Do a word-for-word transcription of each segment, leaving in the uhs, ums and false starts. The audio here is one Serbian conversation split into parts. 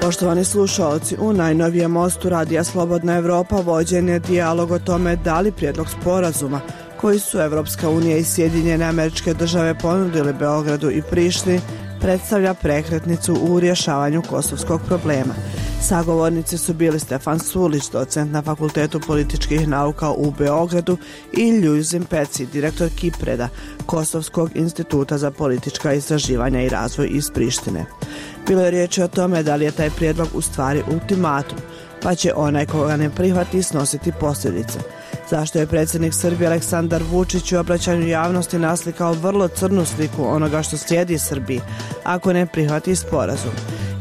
Poštovani slušalci, u najnovijem mostu Radija Slobodna Evropa vođen je dijalog o tome da li prijedlog sporazuma koji su Evropska unija i Sjedinjene Američke Države ponudili Beogradu i Prištini predstavlja prekretnicu u rješavanju kosovskog problema. Sagovornici su bili Stefan Surlić, docent na Fakultetu političkih nauka u Beogradu, i Ljuzin Peci, direktor Kipreda, Kosovskog instituta za politička istraživanja i razvoj iz Prištine. Bilo je riječi o tome da li je taj prijedlog u stvari ultimatum, pa će onaj koga ne prihvati snositi posljedice. Zašto je predsjednik Srbije Aleksandar Vučić u obraćanju javnosti naslikao vrlo crnu sliku onoga što slijedi Srbiji ako ne prihvati sporazum?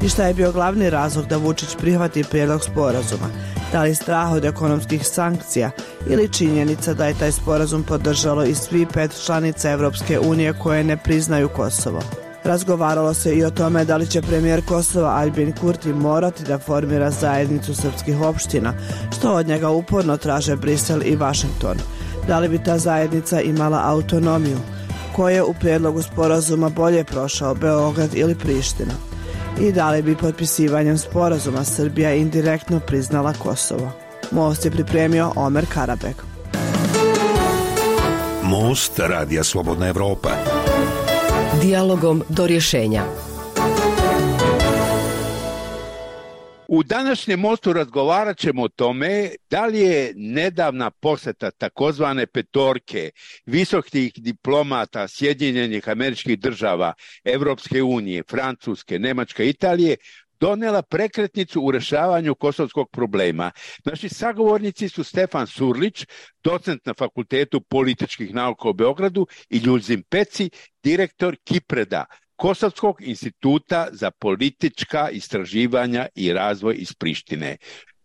I šta je bio glavni razlog da Vučić prihvati prijedlog sporazuma? Da li strah od ekonomskih sankcija ili činjenica da je taj sporazum podržalo i svi pet članica Evropske unije koje ne priznaju Kosovo? Razgovaralo se i o tome da li će premijer Kosova Aljbin Kurti morati da formira zajednicu srpskih opština, što od njega uporno traže Brisel i Vašington. Da li bi ta zajednica imala autonomiju? Ko je u prijedlogu sporazuma bolje prošao, Beograd ili Priština? I da li bi potpisivanjem sporazuma Srbija indirektno priznala Kosovo? Most je pripremio Omer Karabek. Most Radija Slobodna Evropa. Dijalogom do rješenja. U današnjem mostu razgovarat ćemo o tome da li je nedavna posjeta takozvane petorke visokih diplomata Sjedinjenih Američkih Država, Evropske unije, Francuske, Nemačke, Italije donela prekretnicu u rješavanju kosovskog problema. Naši sagovornici su Stefan Surlić, docent na Fakultetu političkih nauka u Beogradu, i Ljuzin Peci, direktor Kipreda, Kosovskog instituta za politička istraživanja i razvoj iz Prištine.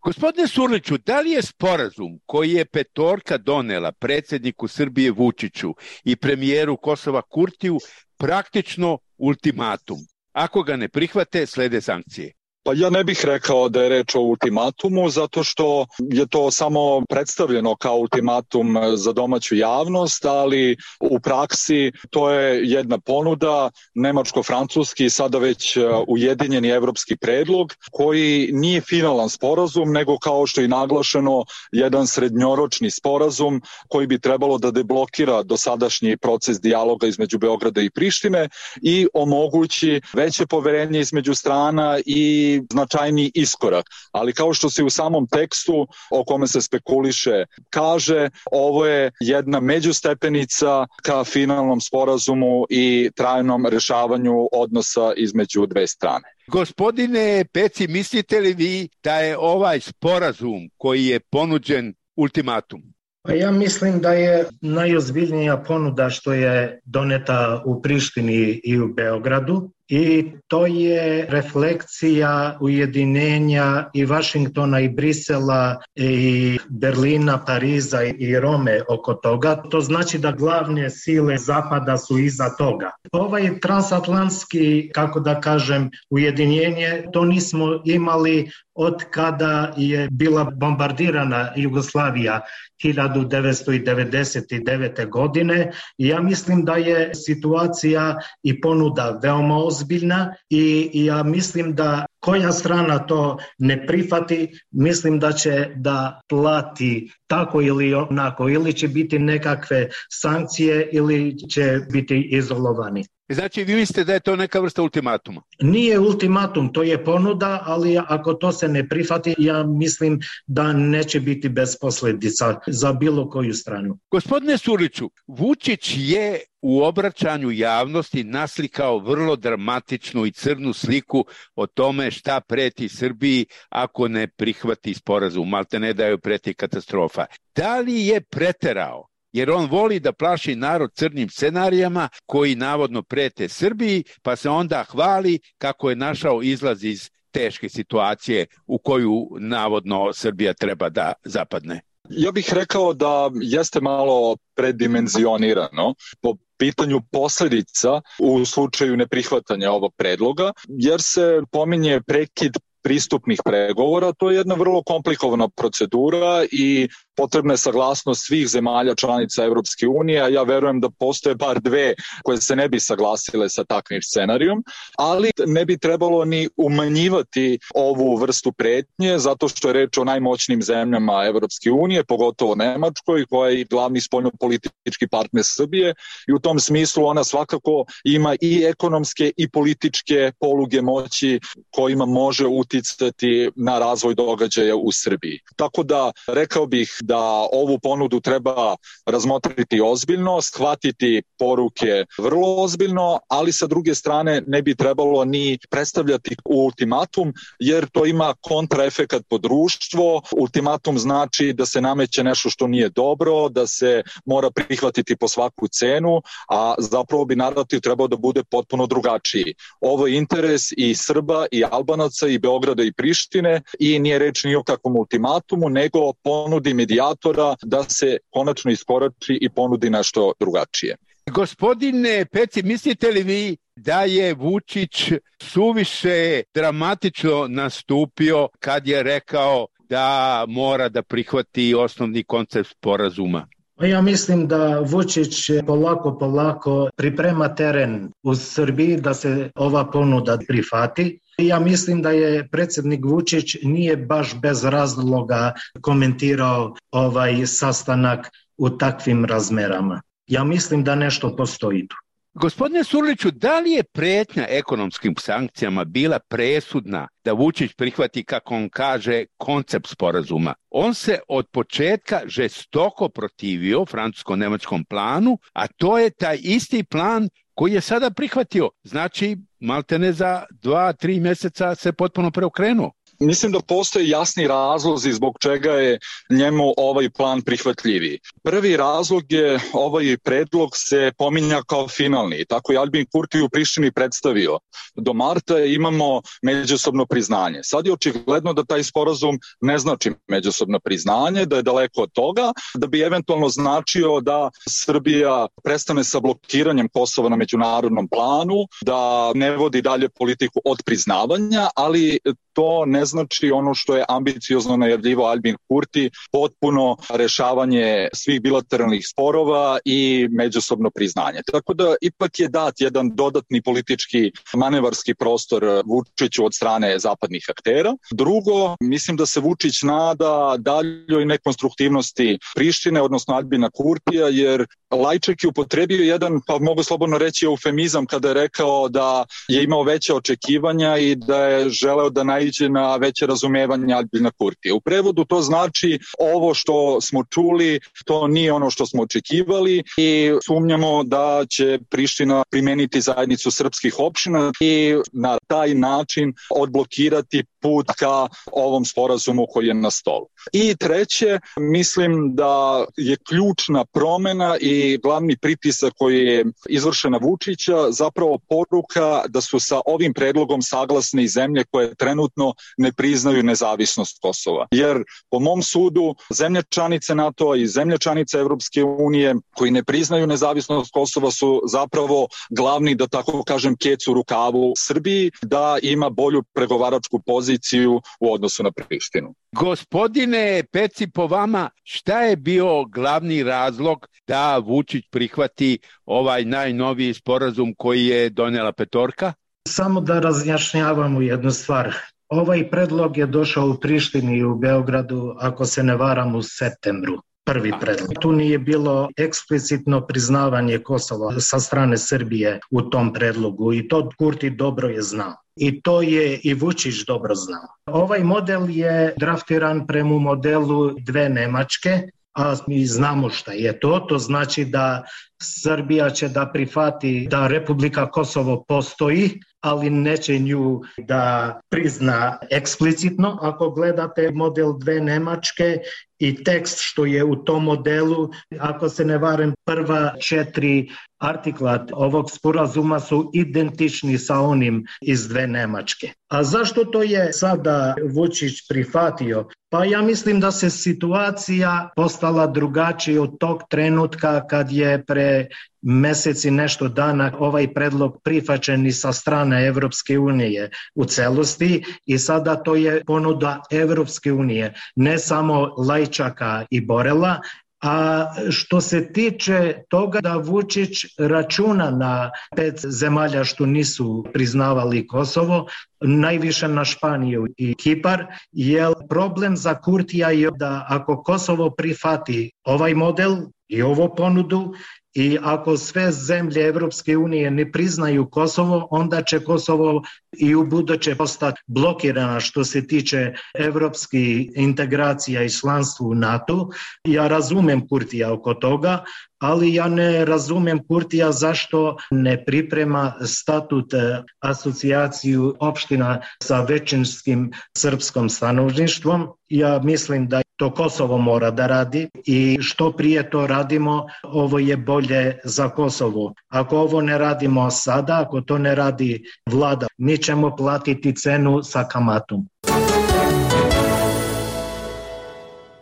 Gospodine Surliću, da li je sporazum koji je petorka donela predsjedniku Srbije Vučiću i premijeru Kosova Kurtiju praktično ultimatum? Ako ga ne prihvate, slede sankcije. Pa ja ne bih rekao da je reč o ultimatumu, zato što je to samo predstavljeno kao ultimatum za domaću javnost, ali u praksi to je jedna ponuda, nemačko-francuski, sada već ujedinjeni evropski predlog, koji nije finalan sporazum, nego kao što je naglašeno, jedan srednjoročni sporazum koji bi trebalo da deblokira dosadašnji proces dijaloga između Beograda i Prištine i omogući veće poverenje između strana i značajni iskorak. Ali kao što se u samom tekstu o kome se spekuliše kaže, ovo je jedna međustepenica ka finalnom sporazumu i trajnom rješavanju odnosa između dve strane. Gospodine Peci, mislite li vi da je ovaj sporazum koji je ponuđen ultimatum? Pa ja mislim da je najozbiljnija ponuda što je doneta u Prištini i u Beogradu, i to je refleksija ujedinjenja i Vašingtona i Brisela i Berlina, Pariza i Rome oko toga. To znači da glavne sile Zapada su iza toga. Ovaj transatlantski, kako da kažem, ujedinjenje, to nismo imali od kada je bila bombardirana Jugoslavija hiljadu devetsto devedeset devete. godine. I ja mislim da je situacija i ponuda veoma ozbiljna i ja mislim da koja strana to ne prihvati, mislim da će da plati tako ili onako, ili će biti nekakve sankcije ili će biti izolovani. Znači, vi mislite da je to neka vrsta ultimatuma? Nije ultimatum, to je ponuda, ali ako to se ne prihvati, ja mislim da neće biti bez posljedica za bilo koju stranu. Gospodine Surliću, Vučić je u obraćanju javnosti naslikao vrlo dramatičnu i crnu sliku o tome šta preti Srbiji ako ne prihvati sporazum, malte ne da joj preti katastrofa. Da li je preterao? Jer on voli da plaši narod crnim scenarijama koji navodno prete Srbiji, pa se onda hvali kako je našao izlaz iz teške situacije u koju navodno Srbija treba da zapadne. Ja bih rekao da jeste malo predimenzionirano po pitanju posljedica u slučaju neprihvatanja ovog predloga, jer se pominje prekid pristupnih pregovora. To je jedna vrlo komplikovana procedura i potrebna je saglasnost svih zemalja članica Evropske unije, a ja verujem da postoje bar dve koje se ne bi saglasile sa takvim scenarijom, ali ne bi trebalo ni umanjivati ovu vrstu pretnje, zato što je reč o najmoćnijim zemljama Evropske unije, pogotovo Nemačkoj, koja je glavni spoljnopolitički partner Srbije i u tom smislu ona svakako ima i ekonomske i političke poluge moći kojima može uticati na razvoj događaja u Srbiji. Tako da rekao bih da ovu ponudu treba razmotriti ozbiljno, shvatiti poruke vrlo ozbiljno, ali sa druge strane ne bi trebalo ni predstavljati ultimatum, jer to ima kontraefekat po društvo. Ultimatum znači da se nameće nešto što nije dobro, da se mora prihvatiti po svaku cenu, a zapravo bi narativ trebao da bude potpuno drugačiji. Ovo je interes i Srba i Albanaca i Beograda i Prištine i nije reč ni o kakvom ultimatumu, nego ponudi medijatora da se konačno iskorači i ponudi nešto drugačije. Gospodine Peci, mislite li vi da je Vučić suviše dramatično nastupio kad je rekao da mora da prihvati osnovni koncept sporazuma? Ja mislim da Vučić polako, polako priprema teren u Srbiji da se ova ponuda prihvati. Ja mislim da je predsjednik Vučić nije baš bez razloga komentirao ovaj sastanak u takvim razmerama. Ja mislim da nešto postoji tu. Gospodine Surliću, da li je pretnja ekonomskim sankcijama bila presudna da Vučić prihvati, kako on kaže, koncept sporazuma? On se od početka žestoko protivio francusko-nemačkom planu, a to je taj isti plan koji je sada prihvatio. Znači, maltene za dva, tri mjeseca se potpuno preokrenuo. Mislim da postoje jasni razlozi zbog čega je njemu ovaj plan prihvatljiviji. Prvi razlog je ovaj predlog se pominja kao finalni. Tako je Albin Kurti u Prištini predstavio. Do marta imamo međusobno priznanje. Sad je očigledno da taj sporazum ne znači međusobno priznanje, da je daleko od toga, da bi eventualno značio da Srbija prestane sa blokiranjem Kosova na međunarodnom planu, da ne vodi dalje politiku od priznavanja, ali to ne znači ono što je ambiciozno najavljivao Albin Kurti, potpuno rešavanje svih bilateralnih sporova i međusobno priznanje. Tako da ipak je dat jedan dodatni politički manevarski prostor Vučiću od strane zapadnih aktera. Drugo, mislim da se Vučić nada daljoj nekonstruktivnosti Prištine, odnosno Albina Kurtija, jer Lajček je upotrebio jedan, pa mogu slobodno reći, eufemizam kada je rekao da je imao veće očekivanja i da je želeo da naiđe na veće razumevanje Albina Kurtija. U prevodu to znači ovo što smo čuli, to nije ono što smo očekivali i sumnjamo da će Priština primeniti zajednicu srpskih opština i na taj način odblokirati put ka ovom sporazumu koji je na stolu. I treće, mislim da je ključna promena i glavni pritisak koji je izvršen na Vučića zapravo poruka da su sa ovim predlogom saglasne i zemlje koje trenutno ne priznaju nezavisnost Kosova. Jer po mom sudu zemlje članice NATO-a i zemlje članice Evropske unije koji ne priznaju nezavisnost Kosova su zapravo glavni, da tako kažem, kec u rukavu Srbiji da ima bolju pregovaračku poziciju u odnosu na Prištinu. Gospodine Peci, po vama, šta je bio glavni razlog da Vučić prihvati ovaj najnoviji sporazum koji je donijela petorka? Samo da razjašnjavamo jednu stvar. Ovaj predlog je došao u Prištini i u Beogradu, ako se ne varam, u septembru. Prvi predlog. Tu nije bilo eksplicitno priznavanje Kosova sa strane Srbije u tom predlogu i to Kurti dobro je znao. I to je i Vučić dobro znao. Ovaj model je draftiran prema modelu dve Nemačke, a mi znamo šta je to. To znači da Srbija će da prihvati da Republika Kosovo postoji, ali neće nju da prizna eksplicitno. Ako gledate model dve Nemačke i tekst što je u tom modelu, ako se ne varam, prva četiri artikla ovog sporazuma su identični sa onim iz dve Nemačke. A zašto to je sada Vučić prihvatio? Pa ja mislim da se situacija postala drugačija od tog trenutka kad je pre mesec i nešto dana ovaj predlog prihvaćen i sa strane Evropske unije u celosti i sada to je ponuda Evropske unije, ne samo Lajčaka i Borela. A što se tiče toga da Vučić računa na pet zemalja što nisu priznavali Kosovo, najviše na Španiju i Kipar, jer problem za Kurtija je da ako Kosovo prihvati ovaj model i ovu ponudu i ako sve zemlje Evropske unije ne priznaju Kosovo, onda će Kosovo i u buduće postati blokirana što se tiče evropskih integracija i članstva u NATO. Ja razumem Kurtija oko toga, ali ja ne razumem Kurtija zašto ne priprema statut asocijaciju opština sa većinskim srpskom stanovništvom. Ja mislim da to Kosovo mora da radi i što prije to radimo, ovo je bolje za Kosovo. Ako ovo ne radimo sada, ako to ne radi vlada, mi ćemo platiti cenu sa kamatom.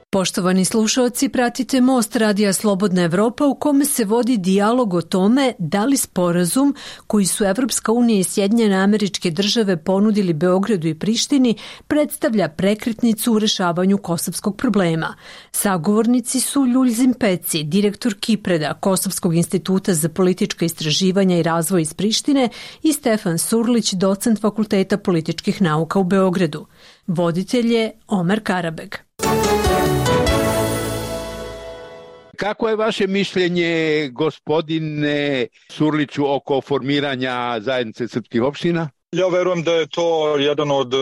Poštovani slušaoci, pratite Most Radija Slobodna Evropa u kome se vodi dijalog o tome da li sporazum koji su Evropska unija i Sjedinjene Američke Države ponudili Beogradu i Prištini predstavlja prekretnicu u rešavanju kosovskog problema. Sagovornici su Ljuljzim Peci, direktor Kipreda, Kosovskog instituta za politička istraživanja i razvoj iz Prištine, i Stefan Surlić, docent Fakulteta političkih nauka u Beogradu. Voditelj je Omer Karabeg. Kako je vaše mišljenje, gospodine Surliću, oko formiranja zajednice srpskih opština? Ja verujem da je to jedan od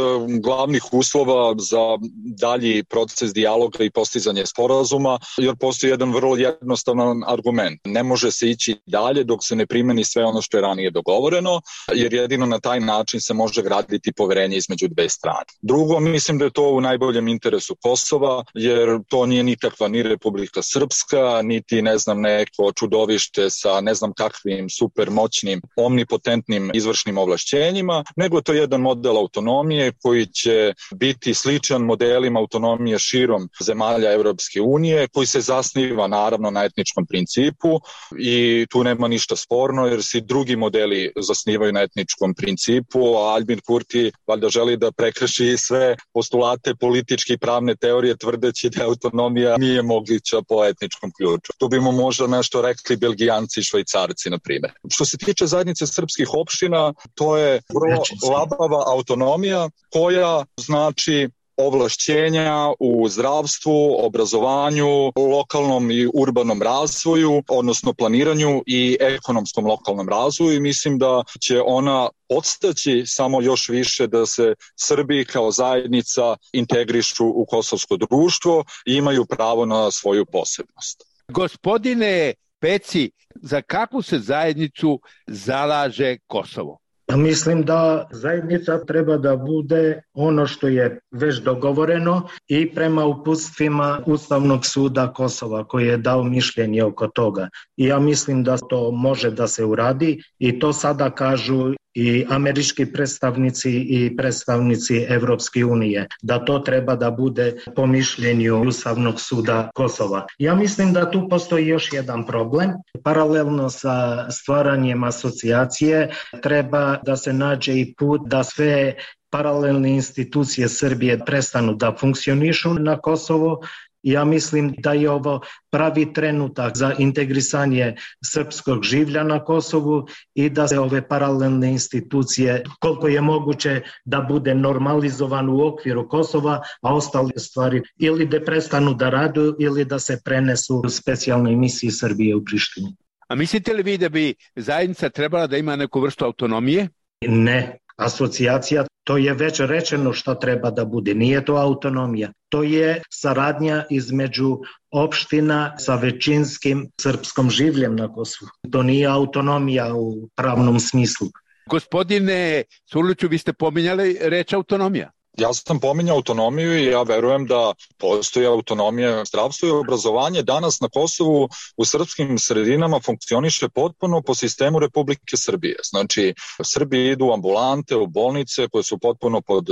glavnih uslova za dalji proces dijaloga i postizanje sporazuma, jer postoji jedan vrlo jednostavan argument. Ne može se ići dalje dok se ne primeni sve ono što je ranije dogovoreno, jer jedino na taj način se može graditi poverenje između dve strane. Drugo, mislim da je to u najboljem interesu Kosova, jer to nije nikakva ni Republika Srpska, niti ne znam neko čudovište sa ne znam kakvim supermoćnim, omnipotentnim izvršnim ovlašćenjima, nego to je jedan model autonomije koji će biti sličan modelima autonomije širom zemalja Evropske unije, koji se zasniva naravno na etničkom principu i tu nema ništa sporno jer se drugi modeli zasnivaju na etničkom principu, a Aljbin Kurti valjda želi da prekrši sve postulate političke i pravne teorije tvrdeći da autonomija nije moguća po etničkom ključu. Tu bi mu možda nešto rekli Belgijanci i Švajcarci, na primjer. Što se tiče zajednice srpskih opština, to je vrlo labava autonomija koja znači ovlašćenja u zdravstvu, obrazovanju, lokalnom i urbanom razvoju, odnosno planiranju i ekonomskom lokalnom razvoju i mislim da će ona podstaći samo još više da se Srbi kao zajednica integrišu u kosovsko društvo i imaju pravo na svoju posebnost. Gospodine Peci, za kakvu se zajednicu zalaže Kosovo? Mislim da zajednica treba da bude ono što je već dogovoreno i prema uputstvima Ustavnog suda Kosova koji je dao mišljenje oko toga. I ja mislim da to može da se uradi i to sada kažu i američki predstavnici i predstavnici Evropske unije, da to treba da bude po mišljenju Ustavnog suda Kosova. Ja mislim da tu postoji još jedan problem. Paralelno sa stvaranjem asocijacije treba da se nađe i put da sve paralelne institucije Srbije prestanu da funkcionišu na Kosovo. Ja mislim da je ovo pravi trenutak za integrisanje srpskog življa na Kosovu i da se ove paralelne institucije, koliko je moguće da bude normalizovan u okviru Kosova, a ostale stvari ili da prestanu da radu ili da se prenesu u specijalnoj misiji Srbije u Prištini. A mislite li vi da bi zajednica trebala da ima neku vrstu autonomije? Ne. Asocijacija, to je već rečeno što treba da bude. Nije to autonomija. To je saradnja između opština sa većinskim srpskom življem na Kosovu. To nije autonomija u pravnom smislu. Gospodine Surliću, vi ste pominjali reč autonomija. Ja sam pominjao autonomiju i ja verujem da postoji autonomija zdravstva i obrazovanje. Danas na Kosovu u srpskim sredinama funkcioniše potpuno po sistemu Republike Srbije. Znači, Srbi idu u ambulante, u bolnice koje su potpuno pod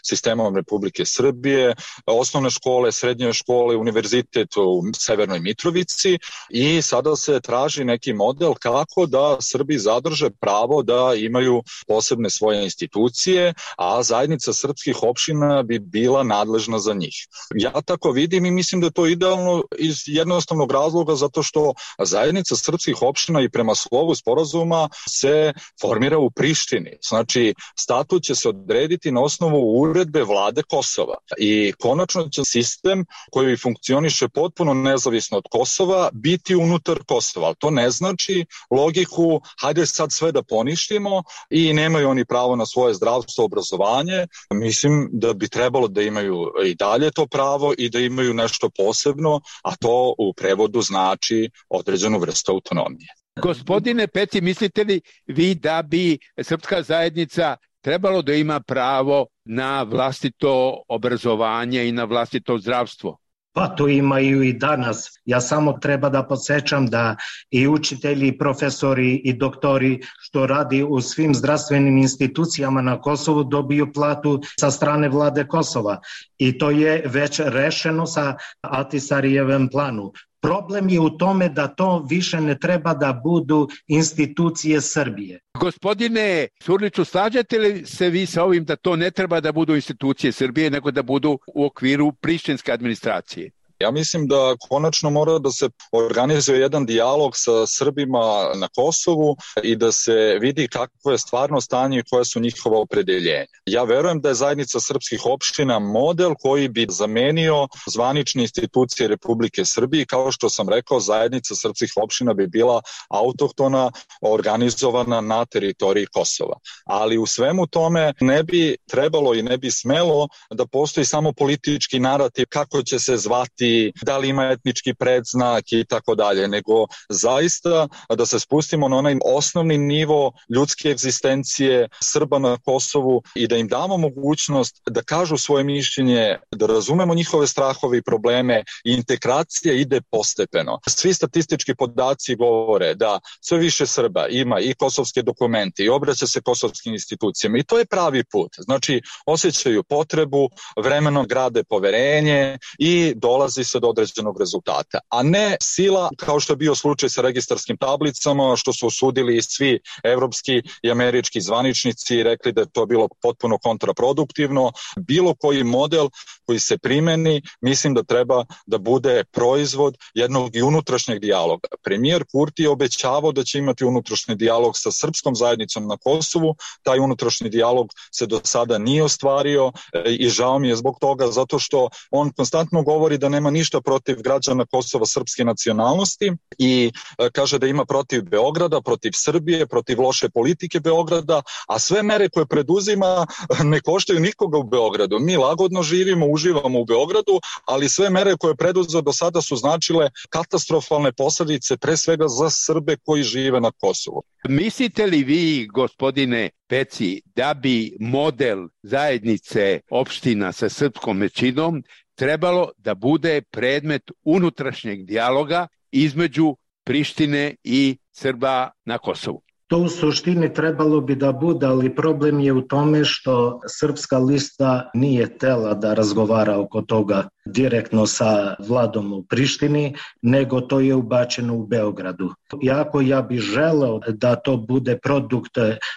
sistemom Republike Srbije, osnovne škole, srednje škole, univerzitet u Severnoj Mitrovici i sada se traži neki model kako da Srbi zadrže pravo da imaju posebne svoje institucije, a zajednica srpskih opština bi bila nadležna za njih. Ja tako vidim i mislim da je to idealno iz jednostavnog razloga zato što zajednica srpskih opština i prema slovu sporazuma se formira u Prištini. Znači, statut će se odrediti na osnovu uredbe vlade Kosova i konačno će sistem koji funkcioniše potpuno nezavisno od Kosova biti unutar Kosova. Ali to ne znači logiku hajde sad sve da poništimo i nemaju oni pravo na svoje zdravstvo, obrazovanje. Mislim da bi trebalo da imaju i dalje to pravo i da imaju nešto posebno, a to u prevodu znači određenu vrstu autonomije. Gospodine Peci, mislite li vi da bi srpska zajednica trebalo da ima pravo na vlastito obrazovanje i na vlastito zdravstvo? Pa to imaju i danas. Ja samo treba da podsjećam da i učitelji, i profesori, i doktori što radi u svim zdravstvenim institucijama na Kosovu dobiju platu sa strane vlade Kosova. I to je već rešeno sa Ahtisarijevim planu. Problem je u tome da to više ne treba da budu institucije Srbije. Gospodine Surliću, slažete li se vi sa ovim da to ne treba da budu institucije Srbije, nego da budu u okviru prištinske administracije? Ja mislim da konačno mora da se organizuje jedan dijalog sa Srbima na Kosovu i da se vidi kakvo je stvarno stanje i koje su njihova opredeljenja. Ja verujem da je zajednica srpskih opština model koji bi zamenio zvanične institucije Republike Srbije. Kao što sam rekao, zajednica srpskih opština bi bila autohtona, organizovana na teritoriji Kosova. Ali u svemu tome ne bi trebalo i ne bi smelo da postoji samo politički narativ kako će se zvati, da li ima etnički predznak i tako dalje, nego zaista da se spustimo na onaj osnovni nivo ljudske egzistencije Srba na Kosovu i da im damo mogućnost da kažu svoje mišljenje, da razumemo njihove strahove i probleme i integracija ide postepeno. Svi statistički podaci govore da sve više Srba ima i kosovske dokumente i obraća se kosovskim institucijama i to je pravi put. Znači, osjećaju potrebu, vremenom grade poverenje i dolazi se do određenog rezultata, a ne sila kao što je bio slučaj sa registarskim tablicama, što su osudili i svi evropski i američki zvaničnici i rekli da je to bilo potpuno kontraproduktivno. Bilo koji model koji se primeni, mislim da treba da bude proizvod jednog i unutrašnjeg dijaloga. Premijer Kurti je obećavao da će imati unutrašnji dijalog sa srpskom zajednicom na Kosovu, taj unutrašnji dijalog se do sada nije ostvario i žao mi je zbog toga, zato što on konstantno govori da nema ništa protiv građana Kosova srpske nacionalnosti i kaže da ima protiv Beograda, protiv Srbije, protiv loše politike Beograda, a sve mere koje preduzima ne koštaju nikoga u Beogradu. Mi lagodno živimo, uživamo u Beogradu, ali sve mere koje preduzeo do sada su značile katastrofalne posljedice pre svega za Srbe koji žive na Kosovu. Mislite li vi, gospodine Peci, da bi model zajednice opština sa srpskom većinom trebalo da bude predmet unutrašnjeg dijaloga između Prištine i Srba na Kosovu? To u suštini trebalo bi da bude, ali problem je u tome što Srpska lista nije tela da razgovara oko toga direktno sa vladom u Prištini, nego to je ubačeno u Beogradu. Iako ja bih želeo da to bude produkt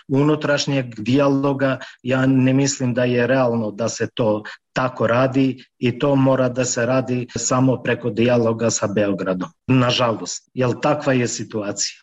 unutrašnjeg dijaloga, ja ne mislim da je realno da se to tako radi i to mora da se radi samo preko dijaloga sa Beogradom. Nažalost, jer takva je situacija.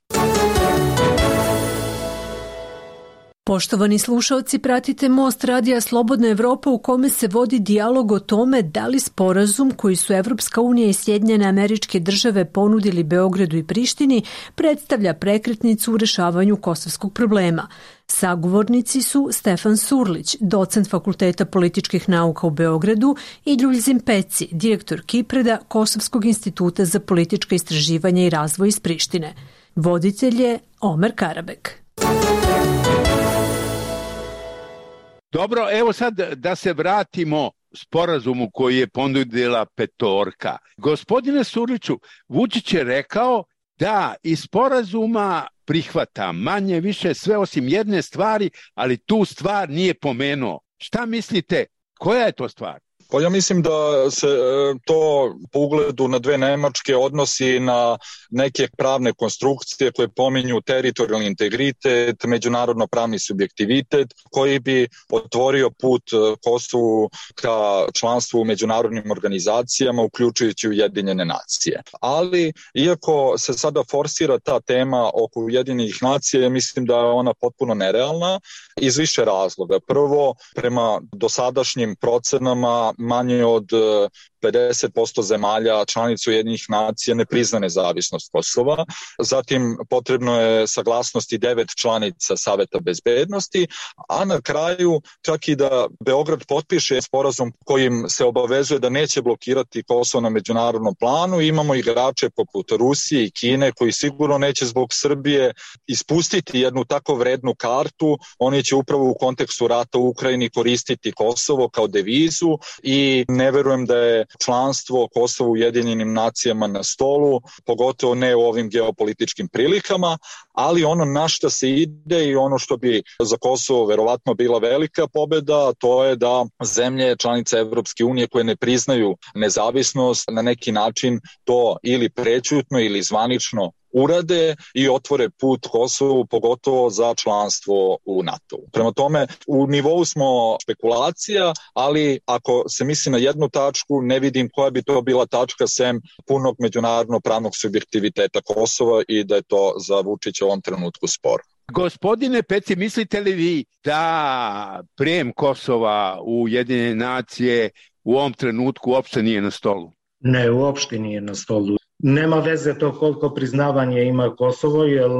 Poštovani slušaoci, pratite Most Radija Slobodna Evropa u kome se vodi dijalog o tome da li sporazum koji su Evropska unija i Sjedinjene Američke Države ponudili Beogradu i Prištini predstavlja prekretnicu u rešavanju kosovskog problema. Sagovornici su Stefan Surlić, docent Fakulteta političkih nauka u Beogradu, i Ljuljzim Peci, direktor Kipreda Kosovskog instituta za politička istraživanja i razvoj iz Prištine. Voditelj je Omer Karabek. Dobro, evo sad da se vratimo sporazumu koji je ponudila petorka. Gospodine Surliću, Vučić je rekao da iz sporazuma prihvata manje više sve osim jedne stvari, ali tu stvar nije pomenuo. Šta mislite, koja je to stvar? Pa ja mislim da se to po ugledu na dve Nemačke odnosi na neke pravne konstrukcije koje pominju teritorijalni integritet, međunarodno pravni subjektivitet koji bi otvorio put Kosovu ka članstvu u međunarodnim organizacijama, uključujući Ujedinjene nacije. Ali iako se sada forsira ta tema oko Ujedinjenih nacija, mislim da je ona potpuno nerealna iz više razloga. Prvo, prema dosadašnjim procenama manje od pedeset posto zemalja članica Ujedinjenih nacija ne prizna nezavisnost Kosova. Zatim potrebno je saglasnosti devet članica Saveta bezbednosti, a na kraju čak i da Beograd potpiše sporazum kojim se obavezuje da neće blokirati Kosovo na međunarodnom planu. Imamo igrače poput Rusije i Kine koji sigurno neće zbog Srbije ispustiti jednu tako vrednu kartu. Oni će upravo u kontekstu rata u Ukrajini koristiti Kosovo kao devizu i ne verujem da je članstvo Kosova u Ujedinjenim nacijama na stolu, pogotovo ne u ovim geopolitičkim prilikama, ali ono na šta se ide i ono što bi za Kosovo verovatno bila velika pobeda, to je da zemlje članice Evropske unije koje ne priznaju nezavisnost na neki način to ili prećutno ili zvanično urade i otvore put Kosovu, pogotovo za članstvo u NATO. Prema tome, u nivou smo špekulacija, ali ako se misli na jednu tačku, ne vidim koja bi to bila tačka sem punog međunarodnog pravnog subjektiviteta Kosova i da je to za Vučića u ovom trenutku spor. Gospodine Peci, mislite li vi da prijem Kosova u Ujedinjene nacije u ovom trenutku uopšte nije na stolu? Ne, uopšte nije na stolu. Nema veze to koliko priznavanje ima Kosovo, jer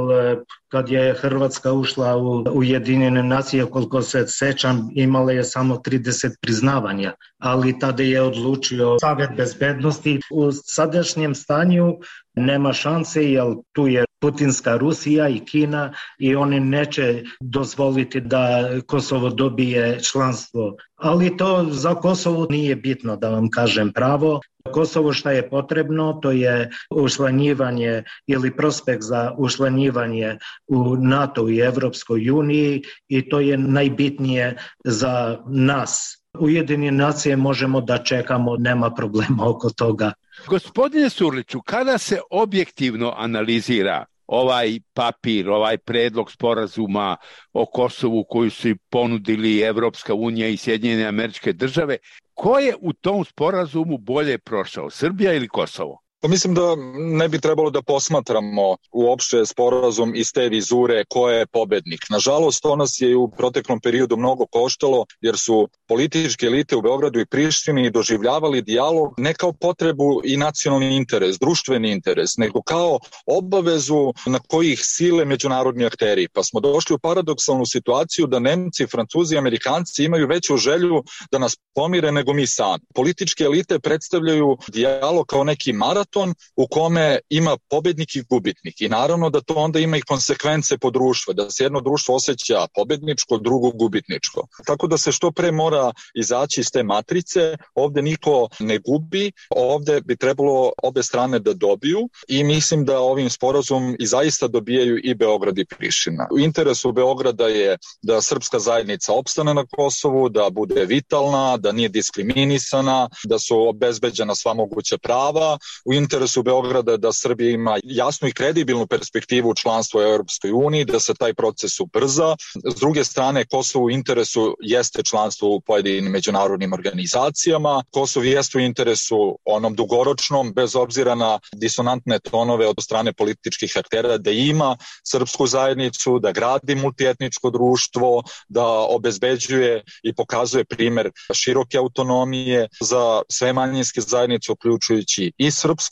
kad je Hrvatska ušla u Ujedinjene nacije, koliko se sećam, imala je samo trideset priznavanja, ali tada je odlučio Savet bezbednosti. U sadašnjem stanju nema šanse, jer tu je putinska Rusija i Kina i oni neće dozvoliti da Kosovo dobije članstvo. Ali to za Kosovo nije bitno, da vam kažem pravo. Kosovo šta je potrebno, to je učlanjivanje ili prospekt za učlanjivanje u NATO i Evropskoj uniji i to je najbitnije za nas. Ujedinjene nacije možemo da čekamo, nema problema oko toga. Gospodine Surliću, kada se objektivno analizira ovaj papir, ovaj predlog sporazuma o Kosovu koju su ponudili Evropska unija i Sjedinjene Američke Države, ko je u tom sporazumu bolje prošao, Srbija ili Kosovo? Pa mislim da ne bi trebalo da posmatramo uopšte sporazum iz te vizure ko je pobednik. Nažalost, to nas je u proteklom periodu mnogo koštalo jer su političke elite u Beogradu i Prištini doživljavali dijalog ne kao potrebu i nacionalni interes, društveni interes, nego kao obavezu na kojih sile međunarodni akteri. Pa smo došli u paradoksalnu situaciju da Nemci, Francuzi i Amerikanci imaju veću želju da nas pomire nego mi sami. Političke elite predstavljaju dijalog kao neki maraton u kome ima pobednik i gubitnik i naravno da to onda ima i konsekvence po društvu, da se jedno društvo osjeća pobedničko, drugo gubitničko. Tako da se što pre mora izaći iz te matrice, ovde niko ne gubi, ovde bi trebalo obe strane da dobiju i mislim da ovim sporazum i zaista dobijaju i Beograd i Priština. U interesu Beograda je da srpska zajednica opstane na Kosovu, da bude vitalna, da nije diskriminisana, da su obezbeđena sva moguća prava. U interesu Beograda da Srbija ima jasnu i kredibilnu perspektivu članstva u Europskoj uniji, da se taj proces ubrza. S druge strane, Kosovo u interesu jeste članstvo u pojedinim međunarodnim organizacijama. Kosovo jeste u interesu onom dugoročnom, bez obzira na disonantne tonove od strane političkih aktera, da ima srpsku zajednicu, da gradi multietničko društvo, da obezbeđuje i pokazuje primer široke autonomije za sve manjinske zajednice, uključujući i srpsku,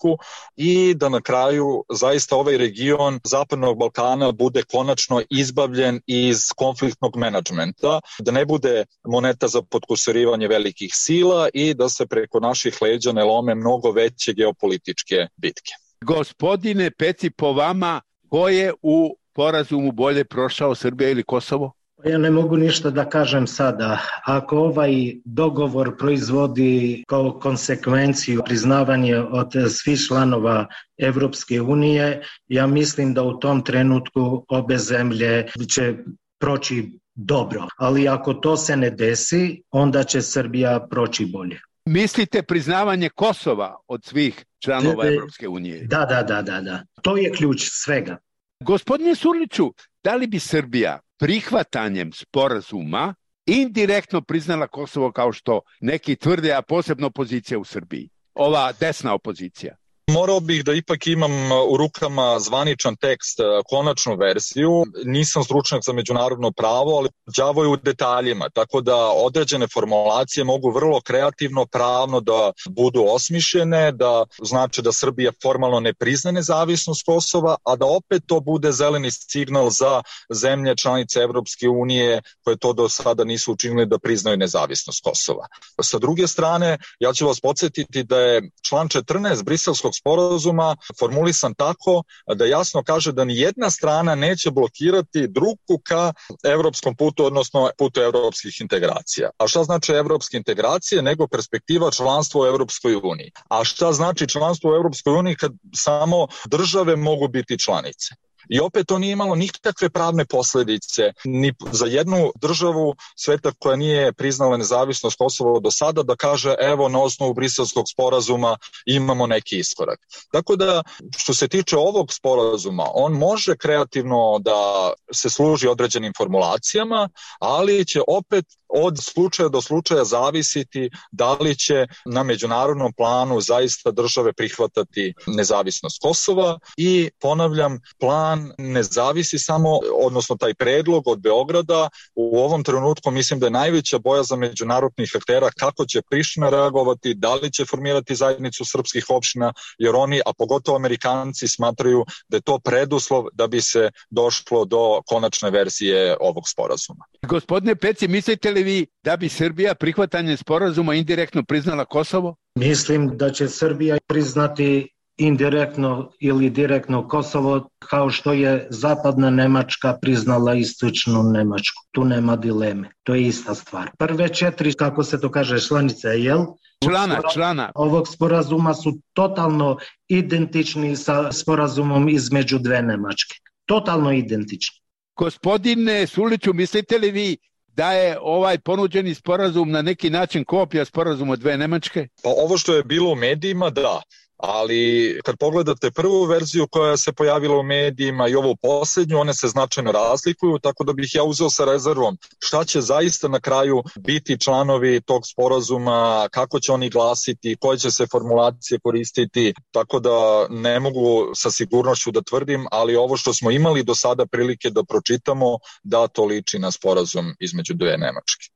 i da na kraju zaista ovaj region Zapadnog Balkana bude konačno izbavljen iz konfliktnog menadžmenta, da ne bude moneta za potkusurivanje velikih sila i da se preko naših leđa ne lome mnogo veće geopolitičke bitke. Gospodine Peci, po vama, ko je u sporazumu bolje prošao, Srbija ili Kosovo? Ja ne mogu ništa da kažem sada. Ako ovaj dogovor proizvodi kao konsekvenciju priznavanje od svih članova Evropske unije, ja mislim da u tom trenutku obe zemlje će proći dobro. Ali ako to se ne desi, onda će Srbija proći bolje. Mislite priznavanje Kosova od svih članova Evropske unije? Da, da, da, da, da. To je ključ svega. Gospodine Surliću, da li bi Srbija prihvatanjem sporazuma indirektno priznala Kosovo kao što neki tvrde, a posebno opozicija u Srbiji? Ova desna opozicija. Morao bih da ipak imam u rukama zvaničan tekst, konačnu verziju. Nisam stručnjak za međunarodno pravo, ali đavo je u detaljima, tako da određene formulacije mogu vrlo kreativno, pravno da budu osmišljene, da znači da Srbija formalno ne prizna nezavisnost Kosova, a da opet to bude zeleni signal za zemlje članice Evropske unije koje to do sada nisu učinili da priznaju nezavisnost Kosova. Sa druge strane, ja ću vas podsjetiti da je član četrnaest Briselskog sporazuma formulisan tako da jasno kaže da ni jedna strana neće blokirati drugu ka evropskom putu, odnosno putu evropskih integracija. A šta znači evropske integracije nego perspektiva članstva u Evropskoj uniji? A šta znači članstvo u Evropskoj uniji kad samo države mogu biti članice? I opet to nije imalo nikakve pravne posljedice ni za jednu državu sveta koja nije priznala nezavisnost Kosova do sada da kaže evo na osnovu Briselskog sporazuma imamo neki iskorak. Tako da što se tiče ovog sporazuma, on može kreativno da se služi određenim formulacijama, ali će opet od slučaja do slučaja zavisiti da li će na međunarodnom planu zaista države prihvatati nezavisnost Kosova i ponavljam, plan ne zavisi samo, odnosno taj predlog od Beograda, u ovom trenutku mislim da je najveća bojazan međunarodnih aktera kako će Priština reagovati, da li će formirati zajednicu srpskih opština, jer oni, a pogotovo Amerikanci, smatraju da je to preduslov da bi se došlo do konačne verzije ovog sporazuma. Gospodine Peci, mislite li vi da bi Srbija prihvatanjem sporazuma indirektno priznala Kosovo? Mislim da će Srbija priznati indirektno ili direktno Kosovo kao što je zapadna Nemačka priznala istočnu Nemačku. Tu nema dileme. To je ista stvar. Prve četiri, kako se to kaže, članice, jel? Člana, člana. Ovog sporazuma su totalno identični sa sporazumom između dve Nemačke. Totalno identični. Gospodine Surliću, mislite li vi da je ovaj ponuđeni sporazum na neki način kopija sporazuma dve Nemačke? Pa ovo što je bilo u medijima, da. Ali kad pogledate prvu verziju koja se pojavila u medijima i ovu posljednju, one se značajno razlikuju, tako da bih ja uzeo sa rezervom šta će zaista na kraju biti članovi tog sporazuma, kako će oni glasiti, koje će se formulacije koristiti, tako da ne mogu sa sigurnošću da tvrdim, ali ovo što smo imali do sada prilike da pročitamo, da to liči na sporazum između dve Nemačke.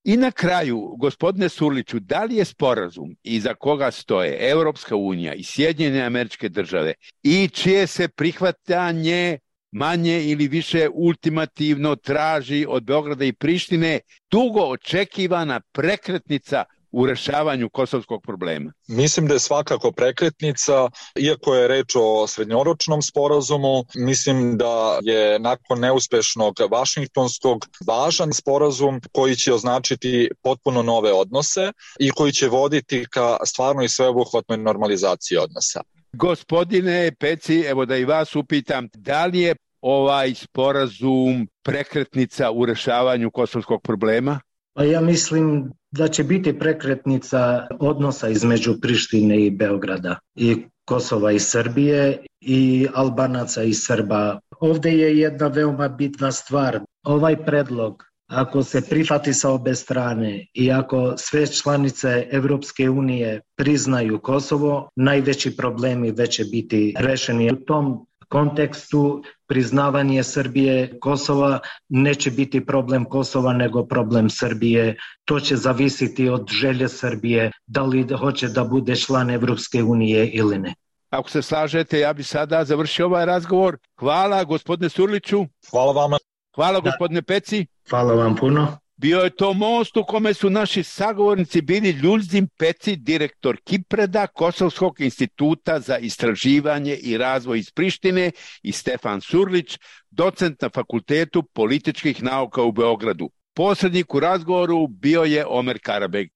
I na kraju, gospodine Surliću, da li je sporazum iza koga stoje Evropska unija i Sjedinjene Američke Države i čije se prihvatanje manje ili više ultimativno traži od Beograda i Prištine dugo očekivana prekretnica u rešavanju kosovskog problema? Mislim da je svakako prekretnica, iako je reč o srednjoročnom sporazumu, mislim da je nakon neuspešnog Vašingtonskog važan sporazum koji će označiti potpuno nove odnose i koji će voditi ka stvarnoj sveobuhvatnoj normalizaciji odnosa. Gospodine Peci, evo da i vas upitam, da li je ovaj sporazum prekretnica u rešavanju kosovskog problema? Pa ja mislim da će biti prekretnica odnosa između Prištine i Beograda i Kosova i Srbije i Albanaca i Srba. Ovde je jedna veoma bitna stvar. Ovaj predlog, ako se prihvati sa obe strane i ako sve članice Evropske unije priznaju Kosovo, najveći problemi već će biti rešeni. U tom kontekstu priznavanje Srbije Kosova neće biti problem Kosova nego problem Srbije. To će zavisiti od želje Srbije da li hoće da bude član Evropske unije ili ne. Ako se slažete, ja bih sada završio ovaj razgovor. Hvala gospodine Surliću. Hvala vama. Hvala gospodine Peci. Hvala vam puno. Bio je to most u kome su naši sagovornici bili Ljuljzim Peci, direktor Kipreda, Kosovskog instituta za istraživanje i razvoj iz Prištine, i Stefan Surlić, docent na Fakultetu političkih nauka u Beogradu. Posrednik u razgovoru bio je Omer Karabeg.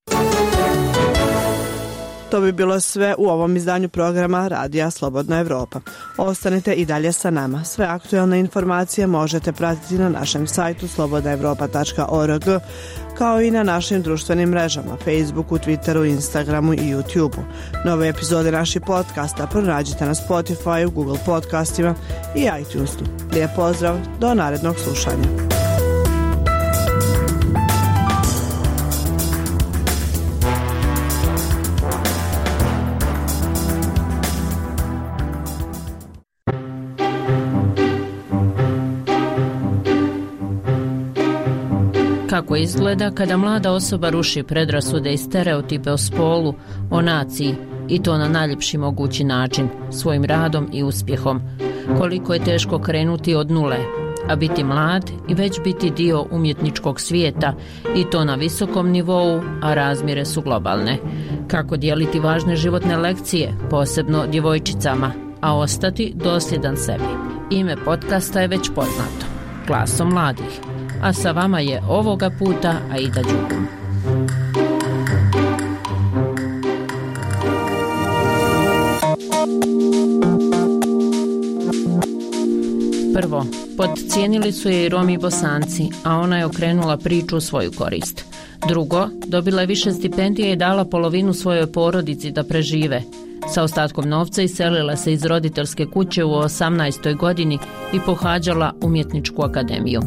To bi bilo sve u ovom izdanju programa Radija Slobodna Evropa. Ostanite i dalje sa nama. Sve aktuelne informacije možete pratiti na našem sajtu slobodna evropa tačka org, kao i na našim društvenim mrežama, Facebooku, Twitteru, Instagramu i YouTubeu. Nove epizode naših podcasta pronađite na Spotify, Google podcastima i iTunesu. Lijep pozdrav, do narednog slušanja. Kako izgleda kada mlada osoba ruši predrasude i stereotipe o spolu, o naciji, i to na najljepši mogući način, svojim radom i uspjehom. Koliko je teško krenuti od nule, a biti mlad i već biti dio umjetničkog svijeta, i to na visokom nivou, a razmjere su globalne. Kako dijeliti važne životne lekcije, posebno djevojčicama, a ostati dosljedan sebi. Ime podcasta je već poznato, Glasom mladih. A sa vama je ovoga puta Aida Đugum. Prvo, podcijenili su je i Romi i Bosanci, a ona je okrenula priču u svoju korist. Drugo, dobila je više stipendije i dala polovinu svojoj porodici da prežive. Sa ostatkom novca iselila se iz roditeljske kuće u osamnaestoj godini i pohađala umjetničku akademiju.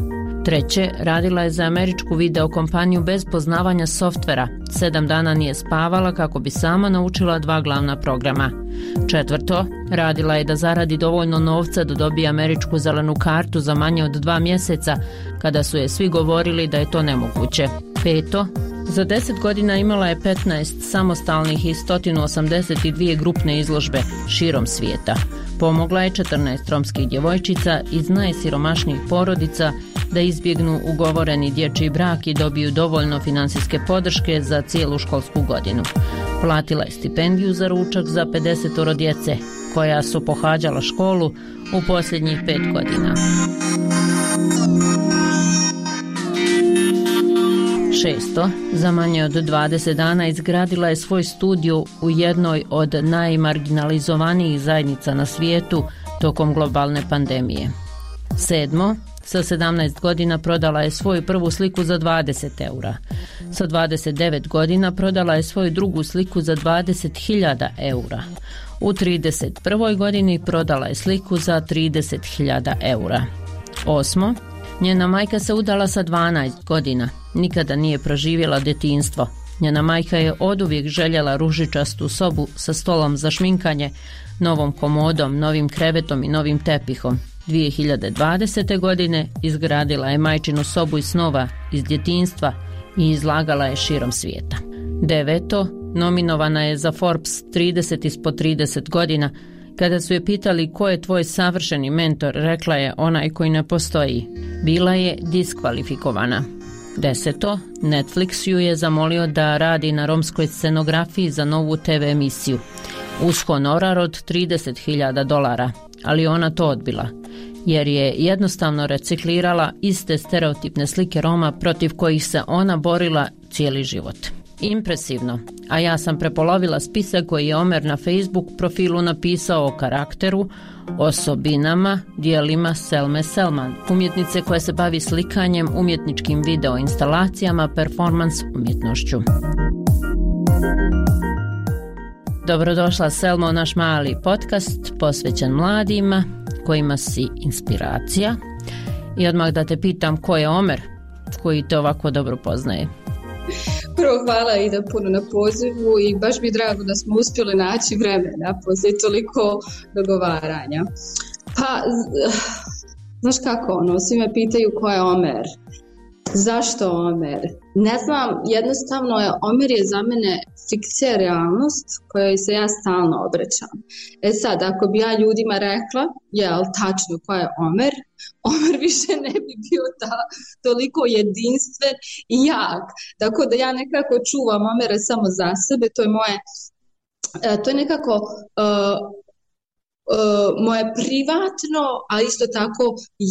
Treće, radila je za američku video kompaniju bez poznavanja softvera. Sedam dana nije spavala kako bi sama naučila dva glavna programa. Četvrto, radila je da zaradi dovoljno novca da dobije američku zelenu kartu za manje od dva mjeseca, kada su je svi govorili da je to nemoguće. Peto, za deset godina imala je petnaest samostalnih i sto osamdeset dvije grupne izložbe širom svijeta. Pomogla je četrnaest romskih djevojčica iz najsiromašnijih porodica da izbjegnu ugovoreni dječji brak i dobiju dovoljno financijske podrške za cijelu školsku godinu. Platila je stipendiju za ručak za pedeset djece, koja su pohađala školu u posljednjih pet godina. Šesto, za manje od dvadeset dana izgradila je svoj studio u jednoj od najmarginalizovanijih zajednica na svijetu tokom globalne pandemije. Sedmo, sa sedamnaest godina prodala je svoju prvu sliku za dvadeset eura. Sa dvadeset devet godina prodala je svoju drugu sliku za dvadeset hiljada eura. U trideset prvoj godini prodala je sliku za trideset hiljada eura. Osmo, njena majka se udala sa dvanaest godina. Nikada nije proživjela djetinjstvo. Njena majka je oduvijek željela ružičastu sobu sa stolom za šminkanje, novom komodom, novim krevetom i novim tepihom. dvije hiljade dvadesete. godine izgradila je majčinu sobu iz snova iz djetinjstva i izlagala je širom svijeta. Deveto, nominovana je za Forbes trideset ispod trideset godina. Kada su je pitali ko je tvoj savršeni mentor, rekla je onaj koji ne postoji. Bila je diskvalifikovana. Deseto, Netflix ju je zamolio da radi na romskoj scenografiji za novu te ve emisiju, uz honorar od trideset hiljada dolara, ali ona to odbila, jer je jednostavno reciklirala iste stereotipne slike Roma protiv kojih se ona borila cijeli život. Impresivno, a ja sam prepolovila spisak koji je Omer na Facebook profilu napisao o karakteru, osobinama, dijelima Selme Selman, umjetnice koja se bavi slikanjem, umjetničkim video instalacijama, performans umjetnošću. Dobrodošla Selma u naš mali podcast posvećen mladima kojima si inspiracija. I odmah da te pitam, ko je Omer koji te ovako dobro poznaje? Prvo hvala i da puno na pozivu i baš mi je drago da smo uspjeli naći vremena poslije toliko dogovaranja. Pa, znaš kako ono, svi me pitaju ko je Omer. Zašto Omer? Ne znam, jednostavno je Omer je za mene fikcija realnost kojoj se ja stalno obraćam. E sad, ako bi ja ljudima rekla, jel, tačno ko je Omer, Omer više ne bi bio ta, toliko jedinstven i jak. Tako da ja nekako čuvam Omera samo za sebe, to je moje, to je nekako... Uh, Uh, moje privatno, a isto tako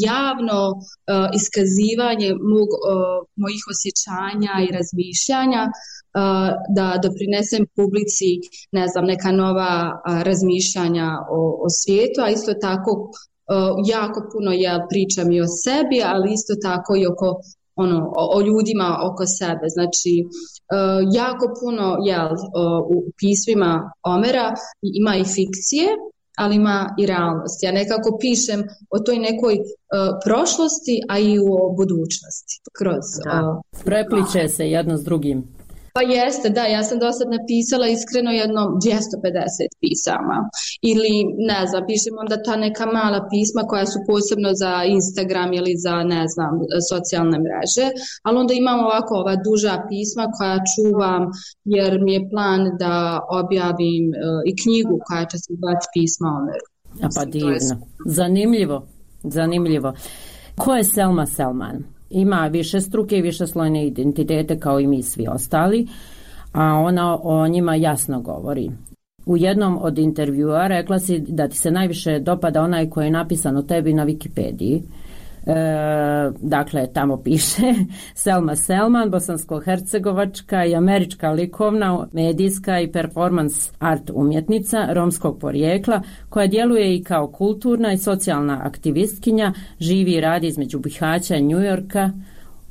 javno uh, iskazivanje mog, uh, mojih osjećanja i razmišljanja uh, da doprinesem publici, ne znam, neka nova uh, razmišljanja o, o svijetu, a isto tako uh, jako puno ja pričam i o sebi, ali isto tako i oko ono, o, o ljudima oko sebe. Znači, uh, jako puno jel, uh, u pismima Omera ima i fikcije, ali ima i realnost. Ja nekako pišem o toj nekoj uh, prošlosti, a i o budućnosti. Kroz, uh, Prepliče se jedno s drugim. Pa jeste, da, ja sam do sad napisala iskreno jedno dvjesto pedeset pisama. Ili, ne znam, pišem onda ta neka mala pisma koja su posebno za Instagram ili za, ne znam, socijalne mreže, ali onda imam ovako ova duža pisma koja čuvam jer mi je plan da objavim uh, i knjigu koja će se zvati Pisma Omeru. A pa divno. Zanimljivo, zanimljivo. Ko je Selma Selman? Ima više struke i više slojne identitete kao i mi svi ostali, a ona o njima jasno govori. U jednom od intervjua rekla si da ti se najviše dopada onaj koji je napisan o tebi na Wikipediji. E, dakle, tamo piše Selma Selman, bosansko-hercegovačka i američka likovna, medijska i performans art umjetnica romskog porijekla koja djeluje i kao kulturna i socijalna aktivistkinja, živi i radi između Bihaća i New Yorka,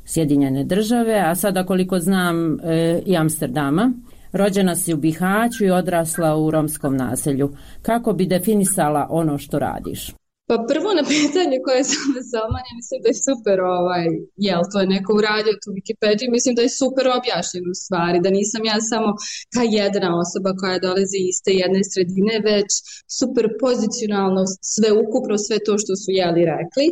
Sjedinjene države, a sada koliko znam e, i Amsterdama. Rođena si u Bihaću i odrasla u romskom naselju. Kako bi definisala ono što radiš? Pa prvo na pitanje koje sam Selman, ja mislim da je super, ovaj, jel, to je neko uradio tu Wikipediju, mislim da je super objašnjeno u stvari, da nisam ja samo ta jedna osoba koja dolazi iz te jedne sredine, već super pozicionalno sve ukupno, sve to što su jeli rekli.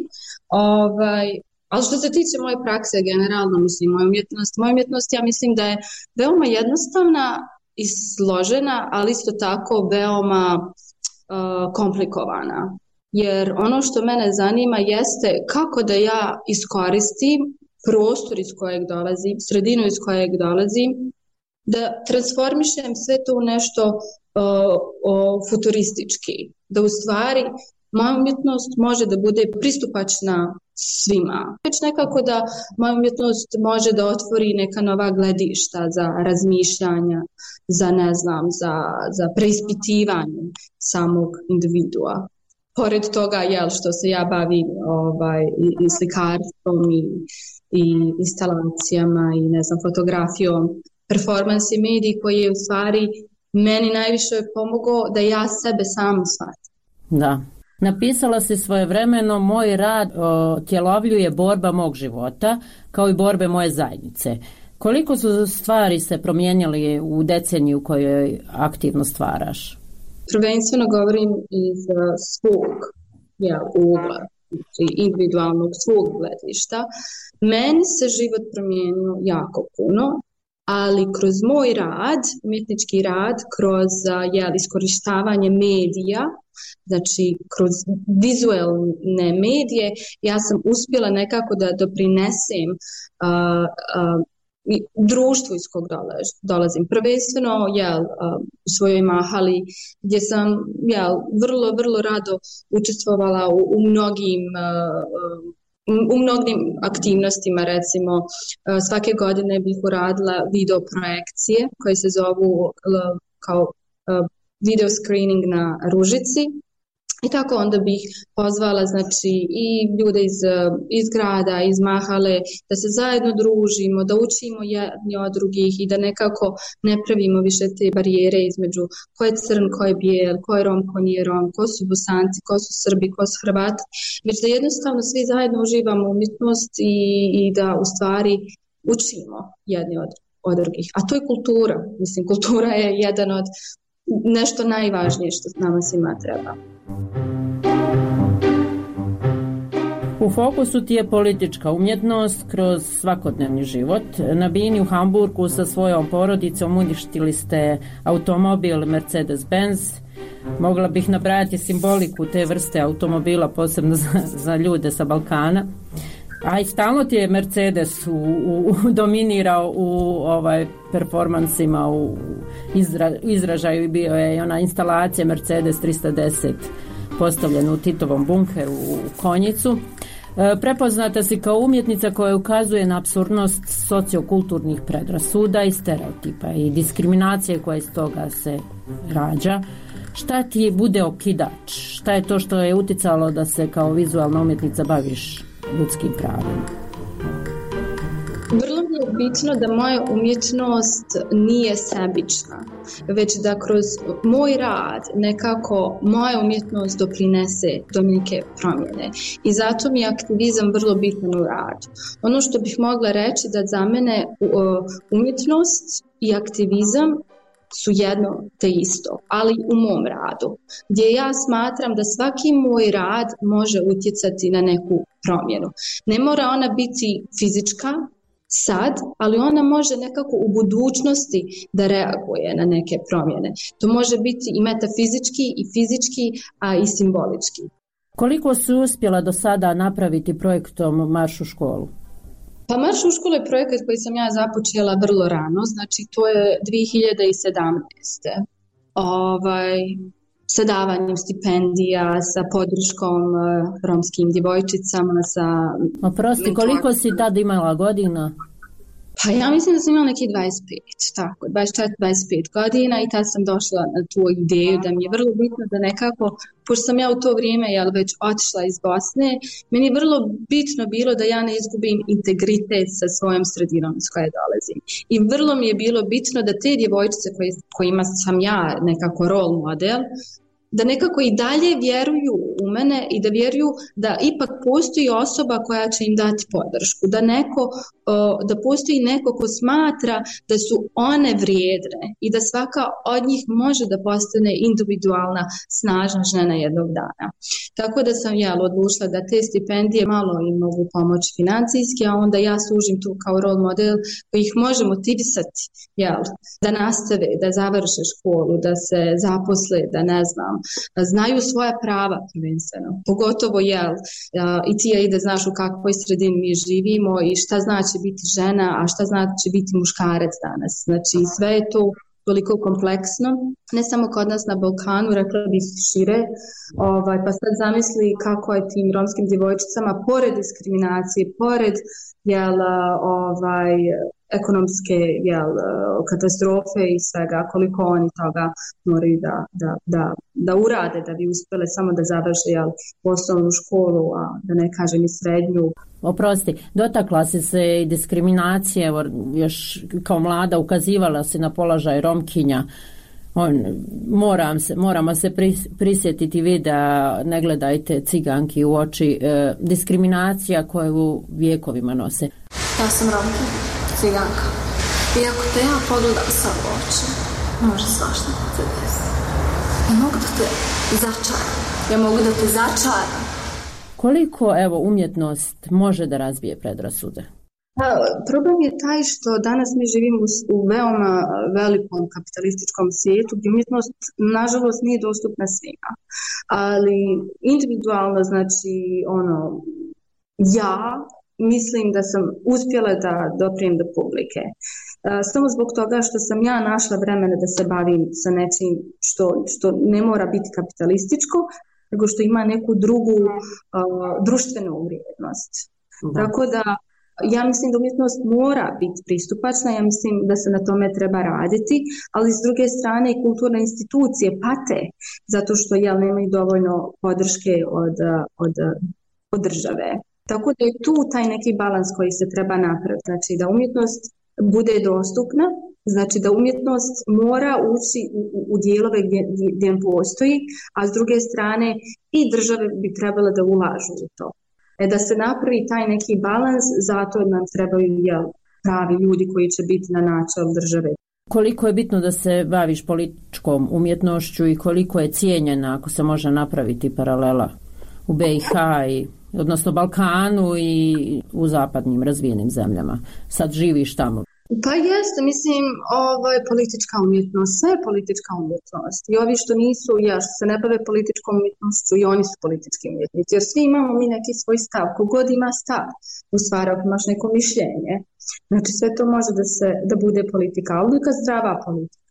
Ovaj, ali što se tiče moje prakse generalno, mislim, moja umjetnost, moja umjetnost ja mislim da je veoma jednostavna i složena, ali isto tako veoma uh, komplikovana. Jer ono što mene zanima jeste kako da ja iskoristim prostor iz kojeg dolazim, sredinu iz kojeg dolazim, da transformišem sve to u nešto uh, uh, futuristički. Da u stvari moja umjetnost može da bude pristupačna svima. Već nekako da moja umjetnost može da otvori neka nova gledišta za razmišljanja, za ne znam, za, za preispitivanje samog individua. Pored toga, jel, što se ja bavim ovaj, i, i slikarstvom i, i instalacijama i ne znam, fotografijom, performans i mediji koji je u stvari meni najviše pomogao da ja sebe sam shvatim. Da. Napisala si svojevremeno, moj rad otjelovljuje borba mog života kao i borbe moje zajednice. Koliko su stvari se promijenili u deceniju u kojoj aktivno stvaraš? Prvenstveno govorim iz svog ja, ugla, individualnog svog gledišta. Meni se život promijenio jako puno, ali kroz moj rad, umjetnički rad, kroz jel, iskorištavanje medija, znači kroz vizualne medije, ja sam uspjela nekako da doprinesem uh, uh, društvu iz kog dolazim. Prvenstveno jel, u svojoj mahali gdje sam jel, vrlo, vrlo rado učestvovala u, u mnogim u mnogim aktivnostima, recimo svake godine bih uradila video projekcije koje se zovu kao video screening na Ružici. I tako onda bih pozvala znači, i ljude iz, iz grada, iz mahale, da se zajedno družimo, da učimo jedni od drugih i da nekako ne pravimo više te barijere između ko je crn, ko je bijel, ko je rom, ko nije rom, ko su Bosanci, ko su Srbi, ko su Hrvati, već da jednostavno svi zajedno uživamo umjetnost i, i da u stvari učimo jedni od, od drugih. A to je kultura. Mislim, kultura je jedan od nešto najvažnije što nama svima treba. U U fokusu ti je politička umjetnost kroz svakodnevni život. Na bini u Hamburgu sa svojom porodicom uništili ste automobil Mercedes-Benz. Mogla bih nabrajati simboliku te vrste automobila, posebno za, za ljude sa Balkana. A i stalno ti je Mercedes u, u, dominirao u ovaj performansima, u izra, izražaju. Bio je ona instalacija Mercedes tristo deset postavljena u Titovom bunkeru u Konjicu. E, prepoznata si kao umjetnica koja ukazuje na apsurdnost sociokulturnih predrasuda i stereotipa i diskriminacije koja iz toga se rađa. Šta ti bude okidač? Šta je to što je uticalo da se kao vizualna umjetnica baviš ljudskim pravima? Vrlo mi je bitno da moja umjetnost nije sebična, već da kroz moj rad nekako moja umjetnost doprinese do neke promjene. I zato mi je aktivizam vrlo bitan u radu. Ono što bih mogla reći da za mene umjetnost i aktivizam su jedno te isto, ali u mom radu, gdje ja smatram da svaki moj rad može utjecati na neku promjenu. Ne mora ona biti fizička sad, ali ona može nekako u budućnosti da reaguje na neke promjene. To može biti i metafizički, i fizički, a i simbolički. Koliko si uspjela do sada napraviti projektom Marš u školu? Pa Marš u školu je projekat koji sam ja započela vrlo rano, znači to je dvije hiljade sedamnaeste. Ovaj, sa davanjem stipendija, sa podrškom uh, romskim djevojčicama, sa... Oprosti, koliko si tad imala godina? Pa ja mislim da sam imala neki dvadeset pet, tako, dvadeset četiri dvadeset pet godina i tad sam došla na tu ideju da mi je vrlo bitno da nekako, pošto sam ja u to vrijeme jel, već otišla iz Bosne, meni je vrlo bitno bilo da ja ne izgubim integritet sa svojom sredinom s koje dolazim. I vrlo mi je bilo bitno da te djevojčice koje, kojima sam ja nekako role model, da nekako i dalje vjeruju u mene i da vjeruju da ipak postoji osoba koja će im dati podršku, da neko, da postoji neko ko smatra da su one vrijedne i da svaka od njih može da postane individualna, snažna žena jednog dana. Tako da sam ja odlučila da te stipendije malo im mogu pomoći financijski, a onda ja služim tu kao role model koji ih može motivisati, jel, da nastave, da završe školu, da se zaposle, da ne znam, znaju svoja prava prvenstveno. Pogotovo jel, i ti ja ide znaš u kakvoj sredini mi živimo i šta znači biti žena, a šta znači biti muškarac danas. Znači sve je to toliko kompleksno, ne samo kod nas na Balkanu, rekla bih šire, ovaj, pa sad zamisli kako je tim romskim djevojčicama pored diskriminacije, pored jel, ovaj, ekonomske jel, katastrofe i svega, koliko oni toga moraju da, da, da, da urade da bi uspjele samo da završe jel, osnovnu školu, a da ne kažem i srednju. Oprosti, dotakla si se i diskriminacije, evo, još kao mlada ukazivala si na položaj Romkinja. On, moram se, moramo se prisjetiti videa Ne gledajte ciganki u oči, e, diskriminacija koju vjekovima nose. Ja sam Romkinja, ciganka. I ako te ja pogledam sa u oči, može svašta da te desi. Ja mogu da te začaram. Ja mogu da te začaram. Koliko, evo, umjetnost može da razbije predrasude? Pa, problem je taj što danas mi živimo u veoma velikom kapitalističkom svijetu gdje umjetnost nažalost nije dostupna svima. Ali individualno, znači, ono, ja mislim da sam uspjela da doprijem do publike. Samo zbog toga što sam ja našla vremena da se bavim sa nečim što, što ne mora biti kapitalističko, nego što ima neku drugu uh, društvenu vrijednost. Da. Tako da ja mislim da umjetnost mora biti pristupačna, ja mislim da se na tome treba raditi, ali s druge strane i kulturne institucije pate zato što jel, nemaju dovoljno podrške od, od, od države. Tako da je tu taj neki balans koji se treba napraviti, znači da umjetnost bude dostupna, znači da umjetnost mora ući u, u, u dijelove gdje, gdje postoji, a s druge strane i države bi trebale da ulažu u to. E, da se napravi taj neki balans, zato nam trebaju jel, pravi ljudi koji će biti na načelu države. Koliko je bitno da se baviš političkom umjetnošću i koliko je cijenjena, ako se može napraviti paralela u B i H i odnosno Balkanu i u zapadnim razvijenim zemljama. Sad živiš tamo. Pa jeste, mislim, ovaj, politička umjetnost, sve je politička umjetnost. I ovi što nisu, ja što se ne bave političkom umjetnošću, i oni su politički umjetnici. Jer svi imamo mi neki svoj stav, kogod ima stav, u stvari ako imaš neko mišljenje. Znači sve to može da se da bude politika, ali neka zdrava politika.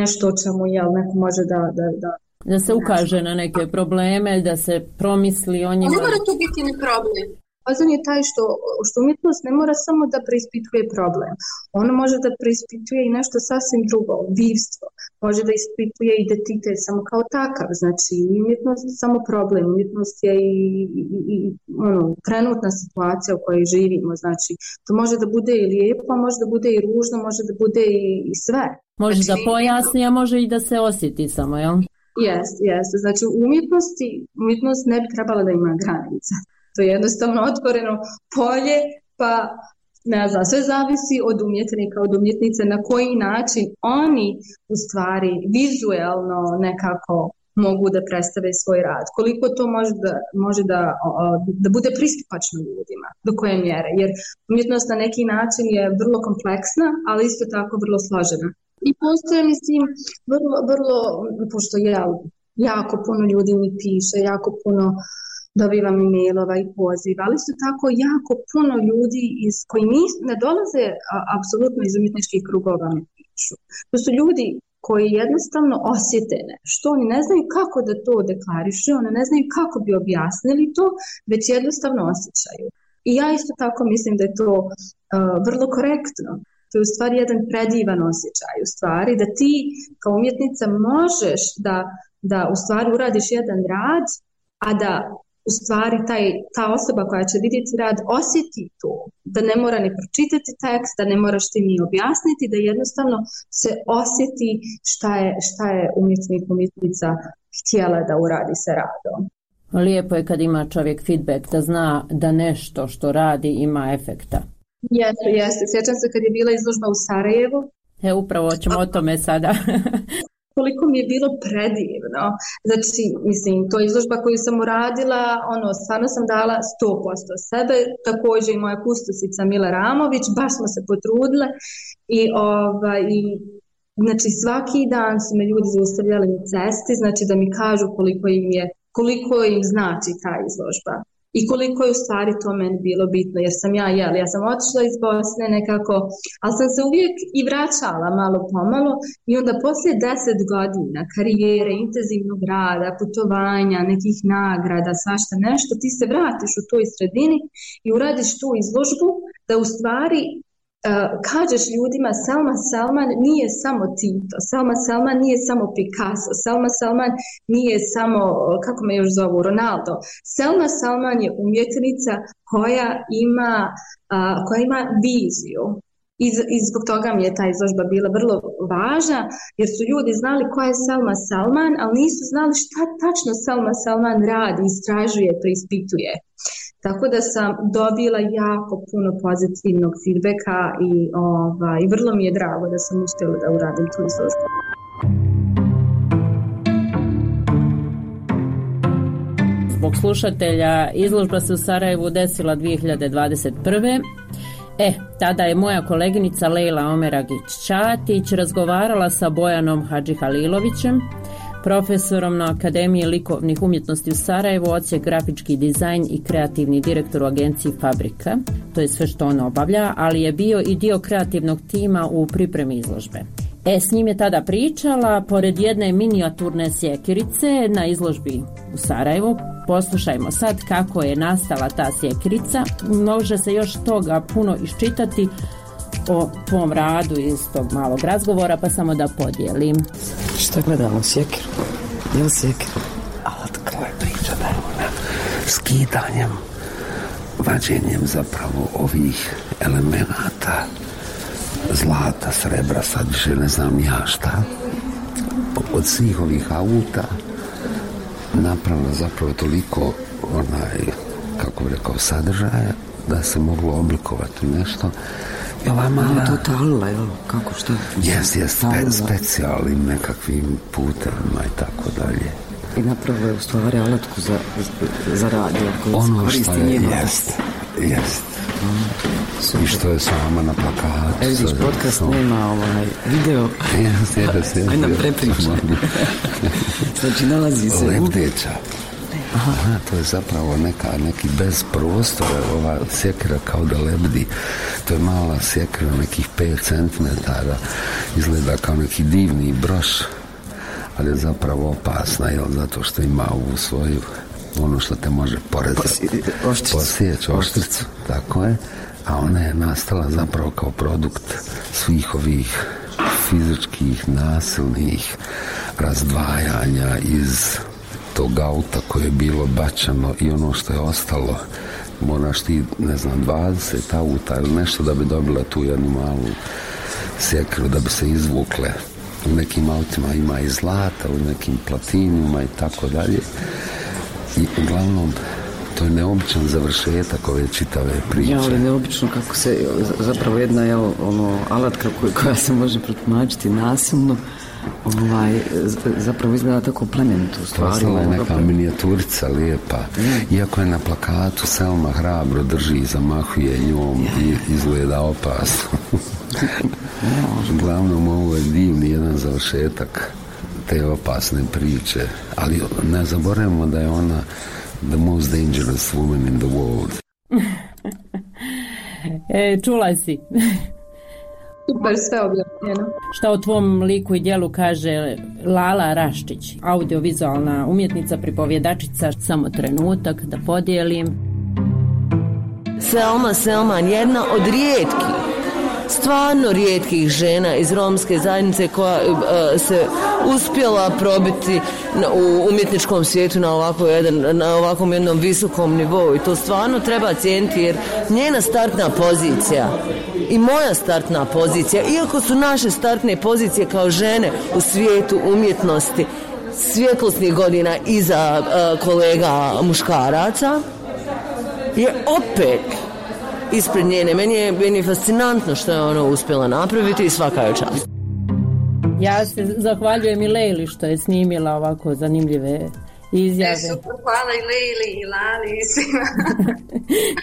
Nešto o čemu jel, neko može da... Da, da, da se ukaže na neke probleme, da se promisli o njima. Ne mora to biti ni problem. Fazon je taj što, što umjetnost ne mora samo da preispituje problem. Ono može da preispituje i nešto sasvim drugo, bivstvo. Može da ispituje identitet samo kao takav. Znači, umjetnost je samo problem. Umjetnost je i, i, i ono, trenutna situacija u kojoj živimo. Znači, to može da bude i lijepo, može da bude i ružno, može da bude i, i sve. Može znači, da pojasni, a može i da se osjeti samo, jel? Jeste, jeste. Znači, u umjetnosti, umjetnost ne bi trebala da ima granica. To je jednostavno otvoreno polje, pa ne znam, sve zavisi od umjetnika, od umjetnice, na koji način oni u stvari vizuelno nekako mogu da predstave svoj rad. Koliko to može da, može da, da bude pristupačno ljudima, do koje mjere. Jer umjetnost na neki način je vrlo kompleksna, ali isto tako vrlo složena. I postoje, mislim, vrlo, vrlo, pošto je jako puno ljudi mi piše, jako puno dobivam e-mailova i poziva, ali isto tako jako puno ljudi iz koji nis, ne dolaze a, apsolutno iz umjetničkih krugova mi pišu. To su ljudi koji jednostavno osjete nešto, oni ne znaju kako da to deklarišu, oni ne znaju kako bi objasnili to, već jednostavno osjećaju. I ja isto tako mislim da je to uh, vrlo korektno. To je u stvari jedan predivan osjećaj, u stvari da ti kao umjetnica možeš da, da u stvari uradiš jedan rad, a da u stvari taj, ta osoba koja će vidjeti rad osjeti to, da ne mora ni pročitati tekst, da ne moraš ti ni objasniti, da jednostavno se osjeti šta je, šta je umjetnik, umjetnica htjela da uradi sa radom. Lijepo je kad ima čovjek feedback, da zna da nešto što radi ima efekta. Jeste, jeste. Sjećam se kad je bila izložba u Sarajevu. E, upravo ćemo o tome sada. Koliko mi je bilo predivno. Znači, mislim, to je izložba koju sam uradila, ono, stvarno sam dala sto posto sebe, također i moja kustosica Mila Ramović, baš smo se potrudile i, ovaj, i znači, svaki dan su me ljudi zaustavljali na cesti, znači da mi kažu koliko im je, koliko im znači ta izložba. I koliko je u stvari to meni bilo bitno, jer sam ja, jel, ja sam otišla iz Bosne nekako, ali sam se uvijek i vraćala malo pomalo i onda poslije deset godina karijere, intenzivnog rada, putovanja, nekih nagrada, svašta nešto, ti se vratiš u toj sredini i uradiš tu izložbu da u stvari Uh, kažeš ljudima Selma Selman nije samo Tito, Selma Selman nije samo Picasso, Selma Selman nije samo, kako me još zovu, Ronaldo. Selma Selman je umjetnica koja ima, uh, koja ima viziju. I, I zbog toga mi je ta izložba bila vrlo važna, jer su ljudi znali koja je Selma Selman, ali nisu znali šta tačno Selma Selman radi, istražuje, preispituje. Tako da sam dobila jako puno pozitivnog feedbacka i, ovaj, i vrlo mi je drago da sam uspjela da uradim tu izložbu. Zbog slušatelja, izložba se u Sarajevu desila dvije hiljade dvadeset prve. E, tada je moja koleginica Lejla Omeragić-Čatić razgovarala sa Bojanom Hadžihalilovićem, profesorom na Akademiji likovnih umjetnosti u Sarajevu, odsjek grafički dizajn i kreativni direktor u agenciji Fabrika. To je sve što on obavlja, ali je bio i dio kreativnog tima u pripremi izložbe. E, s njim je tada pričala, pored jedne minijaturne sjekirice na izložbi u Sarajevu. Poslušajmo sad kako je nastala ta sjekirica. Može se još toga puno iščitati o tvom radu iz tog malog razgovora, pa samo da podijelim. Šta gledamo, sjekiru? Je li sjekiru? A otkako je priča da je ona skidanjem, vađenjem zapravo ovih elemenata, zlata, srebra, sad više ne znam ja šta, od svih ovih auta napravila zapravo toliko onaj, kako bi rekao, sadržaja da se moglo oblikovati nešto. I ova mala... To talila, jel? Kako, šta? Jes, jes, spe, specijalnim nekakvim putevima i tako dalje. I napravio je u stvari alatku za, za radio koju ono koristi što je, njeno. jest, jest. Mm, I što je sama na plakatu. Evo vidiš, podcast sam... nema ovaj video. Jest, jest, jest. Aj nam prepričaj. Znači nalazi se... Lebdeća. Aha. Aha, to je zapravo neka, neki bez prostora, ova sjekira kao da lebdi. To je mala sjekira, nekih pet centimetara, izgleda kao neki divni broš, ali je zapravo opasna, jel, zato što ima ovu svoju, ono što te može porezati, posjeći oštricu, tako je, a ona je nastala zapravo kao produkt svih ovih fizičkih, nasilnih razdvajanja iz tog auta koje je bilo bačeno i ono što je ostalo, moraš ti, ne znam, dvadeset auta ili nešto da bi dobila tu jednu malu sjekiru da bi se izvukle. U nekim autima ima i zlata, u nekim platinima i tako dalje. I uglavnom to je neobičan završetak ove čitave priče. Ja, ali neobično kako se, zapravo jedna je ono alatka koja se može protumačiti nasilno, ovaj, zapravo izgleda tako plemenito u stvari. Postala je neka minijaturica lijepa. Mm. Iako je na plakatu Selma hrabro drži i zamahuje njom yeah. i izgleda opasno. Uglavnom ovo je divni jedan završetak te opasne priče. Ali ne zaboravimo da je ona the most dangerous woman in the world. e, čula si. Super, sve objavljeno. Šta o tvom liku i djelu kaže Lala Raščić, audiovizualna umjetnica, pripovjedačica? Samo trenutak da podijelim. Selma Selman, jedna od rijetkih, stvarno rijetkih žena iz romske zajednice koja uh, se uspjela probiti na, u umjetničkom svijetu na, ovako jedan, na ovakvom jednom visokom nivou i to stvarno treba cijeniti jer njena startna pozicija i moja startna pozicija, iako su naše startne pozicije kao žene u svijetu umjetnosti svjetlosnih godina iza uh, kolega muškaraca, je opet ispred njene. Meni je, meni je fascinantno što je ona uspjela napraviti i svaka je čast. Ja se zahvaljujem i Lejli što je snimila ovako zanimljive izjave. E, super, hvala i Lejli i Lali i svima.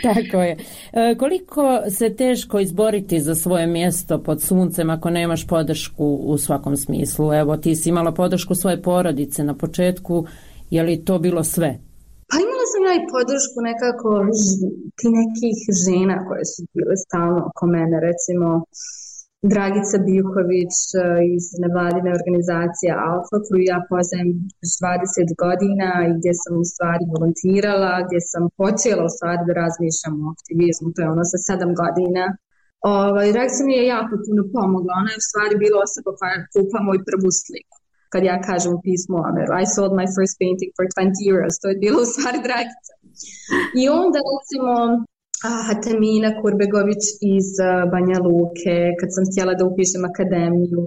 Tako je. E, koliko se teško izboriti za svoje mjesto pod suncem ako nemaš podršku u svakom smislu? Evo, ti si imala podršku svoje porodice na početku, je li to bilo sve? Pa imala sam ja i podršku nekako ti nekih žena koje su bile stalno oko mene, recimo Dragica Bijuković iz nevladine organizacije Alfa, koju ja poznajem dvadeset godina i gdje sam u stvari volontirala, gdje sam počela u stvari da razmišljam o aktivizmu, to je ono sa sedam godina. Ovaj, Dragica mi je jako puno pomogla, ona je u stvari bila osoba koja kupa moju prvu sliku. Kad ja kažem u pismu Ameru, I sold my first painting for twenty euros, to je bilo u stvari Dragica. I onda recimo Hatamina Kurbegović iz Banja Luke, kad sam htjela da upišem akademiju,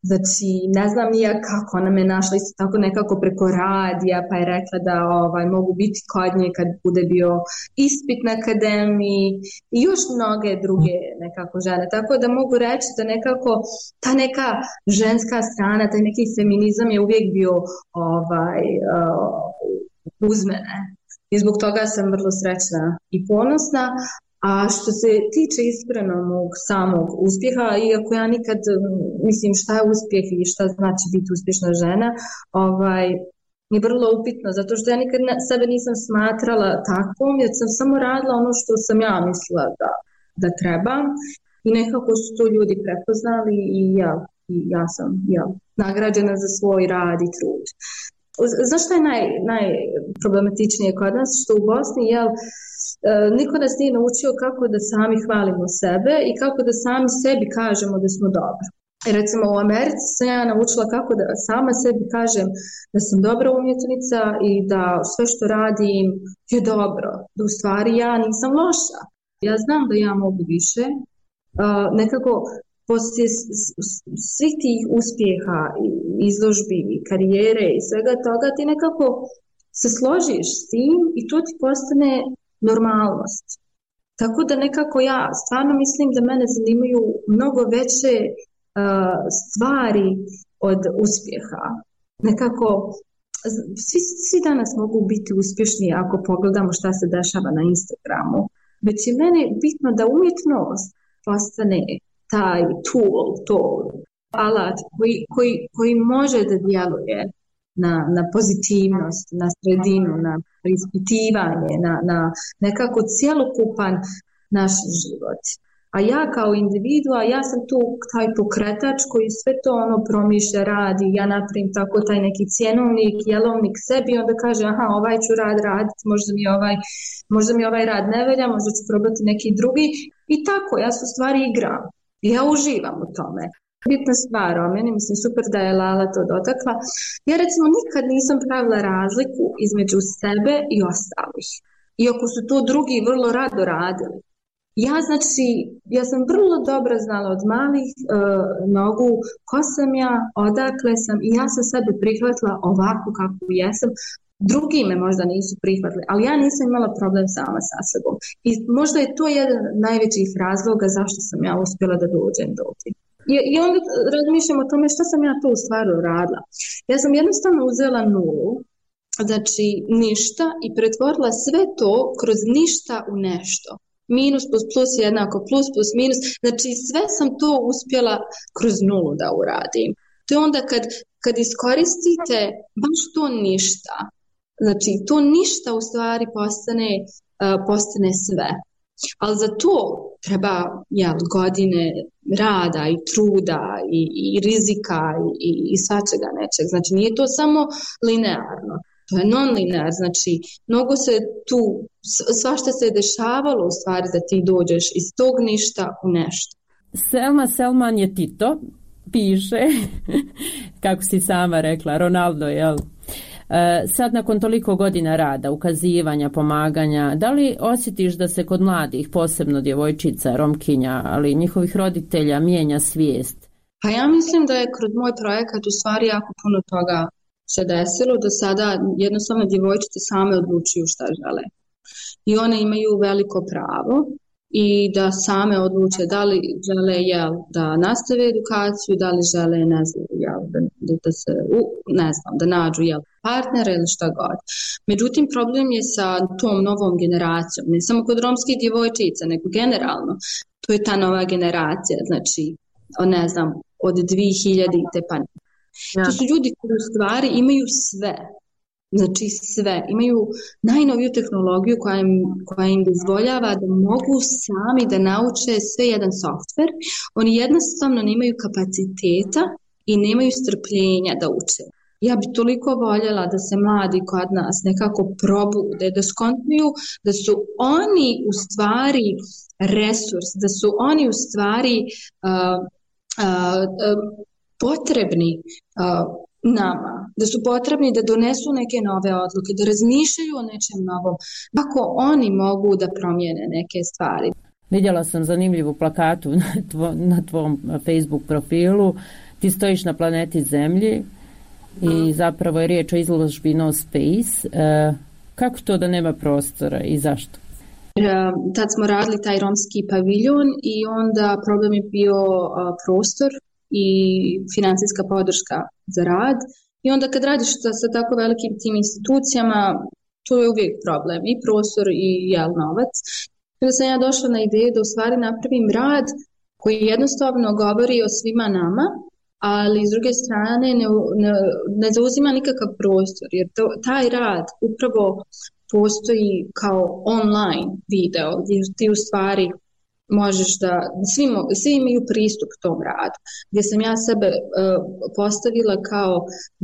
znači ne znam nija kako, ona me našla isto tako nekako preko radija, pa je rekla da ovaj, mogu biti kod nje kad bude bio ispit na akademiji i još mnoge druge nekako žene, tako da mogu reći da nekako ta neka ženska strana, taj neki feminizam je uvijek bio ovaj, uh, uz mene. I zbog toga sam vrlo srećna i ponosna. A što se tiče iskreno mog samog uspjeha, iako ja nikad mislim šta je uspjeh i šta znači biti uspješna žena, ovaj, je vrlo upitno, zato što ja nikad ne, sebe nisam smatrala takvom, jer sam samo radila ono što sam ja mislila da, da treba i nekako su to ljudi prepoznali i ja, i ja sam ja, nagrađena za svoj rad i trud. Znaš što je naj, najproblematičnije kod nas? Što u Bosni, jel, niko nas nije naučio kako da sami hvalimo sebe i kako da sami sebi kažemo da smo dobri. I recimo u Americi sam ja naučila kako da sama sebi kažem da sam dobra umjetnica i da sve što radim je dobro. Da u stvari ja nisam loša. Ja znam da ja mogu više. Uh, nekako poslije svih tih uspjeha, izložbi, karijere i svega toga, ti nekako se složiš s tim i to ti postane normalnost. Tako da nekako ja stvarno mislim da mene zanimaju mnogo veće uh, stvari od uspjeha. Nekako svi, svi danas mogu biti uspješni ako pogledamo šta se dešava na Instagramu. Već je mene bitno da umjetnost postane taj tool, to alat koji, koji, koji može da djeluje na, na pozitivnost, na sredinu, na preispitivanje, na, na nekako cjelokupan naš život. A ja kao individua, ja sam tu taj pokretač koji sve to ono promišlja, radi, ja napravim tako taj neki cjenovnik, jelovnik sebi, onda kaže aha, ovaj ću rad raditi, možda mi ovaj, možda mi ovaj rad ne velja, možda ću probati neki drugi i tako, ja se u stvari igram. Ja uživam u tome. Bitna stvar o meni, mislim super da je Lala to dotakla. Ja recimo nikad nisam pravila razliku između sebe i ostalih. Iako su to drugi vrlo rado radili. Ja znači, ja sam vrlo dobro znala od malih uh, nogu ko sam ja, odakle sam i ja sam sebe prihvatila ovako kako jesam. Drugi me možda nisu prihvatili, ali ja nisam imala problem sama sa sobom. I možda je to jedan od najvećih razloga zašto sam ja uspjela da dođem do ovdje. I, I onda razmišljam o tome što sam ja to u stvari radila. Ja sam jednostavno uzela nulu, znači ništa i pretvorila sve to kroz ništa u nešto. Minus plus plus jednako plus plus minus, znači sve sam to uspjela kroz nulu da uradim. To je onda kad, kad iskoristite baš to ništa, znači to ništa u stvari postane, uh, postane sve. Ali za to treba jel, godine rada i truda i, i rizika i, i svačega nečeg. Znači nije to samo linearno. To je non-linear, znači mnogo se tu, svašta se je dešavalo u stvari da ti dođeš iz tog ništa u nešto. Selma Selman je Tito, piše, kako si sama rekla, Ronaldo, jel? E, sad nakon toliko godina rada, ukazivanja, pomaganja, da li osjetiš da se kod mladih, posebno djevojčica, Romkinja, ali njihovih roditelja mijenja svijest? Pa ja mislim da je kroz moj projekat u stvari jako puno toga se desilo, da sada jednostavno djevojčice same odlučuju šta žele. I one imaju veliko pravo i da same odluče da li žele jel, da nastave edukaciju, da li žele ne znam, jel, da, da se ne znam, da nađu jel, partnera ili šta god. Međutim, problem je sa tom novom generacijom, ne samo kod romskih djevojčica, nego generalno. To je ta nova generacija, znači, ne znam, od dvije hiljadite pa ja. To su ljudi koji u stvari imaju sve, znači sve, imaju najnoviju tehnologiju koja im, koja im dozvoljava da mogu sami da nauče sve jedan softver. Oni jednostavno nemaju kapaciteta i nemaju strpljenja da uče. Ja bi toliko voljela da se mladi kod nas nekako probude, da skontuju da su oni u stvari resurs, da su oni u stvari uh, uh, uh, potrebni uh, nama, da su potrebni da donesu neke nove odluke, da razmišljaju o nečem novom, kako oni mogu da promijene neke stvari. Vidjela sam zanimljivu plakatu na, tvo, na tvom Facebook profilu. Ti stojiš na planeti Zemlji i zapravo je riječ o izložbi No Space. Uh, kako to da nema prostora i zašto? Uh, tad smo radili taj romski paviljon i onda problem je bio uh, prostor i financijska podrška za rad. I onda kad radiš sa, sa tako velikim tim institucijama, to je uvijek problem, i prostor i jel, novac. Kada sam ja došla na ideju da u stvari napravim rad koji jednostavno govori o svima nama, ali s druge strane ne, ne, ne zauzima nikakav prostor, jer to, taj rad upravo postoji kao online video, gdje ti u stvari možeš da, svi, svi imaju pristup tom radu, gdje sam ja sebe uh, postavila kao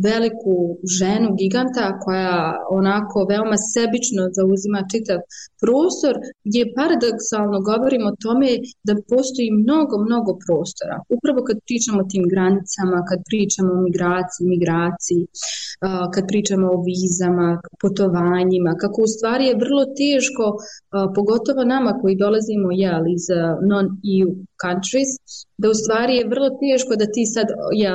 veliku ženu giganta koja onako veoma sebično zauzima čitav prostor, gdje paradoksalno govorimo o tome da postoji mnogo, mnogo prostora. Upravo kad pričamo o tim granicama, kad pričamo o migraciji, migraciji, uh, kad pričamo o vizama, putovanjima, kako u stvari je vrlo teško, uh, pogotovo nama koji dolazimo jel, iz non-E U countries, da u stvari je vrlo teško da ti sad, ja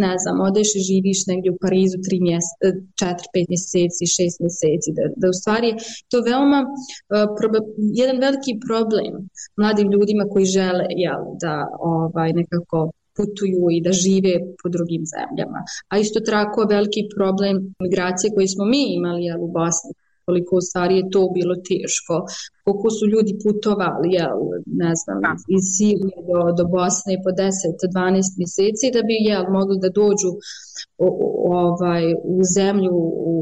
ne znam, odeš i živiš negdje u Parizu tri mjese, četiri, pet mjeseci, šest mjeseci, da, da u stvari je to veoma uh, proba, jedan veliki problem mladim ljudima koji žele jel, da ovaj, nekako putuju i da žive po drugim zemljama. A isto tako veliki problem migracije koji smo mi imali jel, u Bosni, koliko u stvari je to bilo teško, koliko su ljudi putovali, jel, ne znam, iz Sirije do, do Bosne po deset do dvanaest mjeseci da bi jel, mogli da dođu o, o, ovaj, u zemlju u,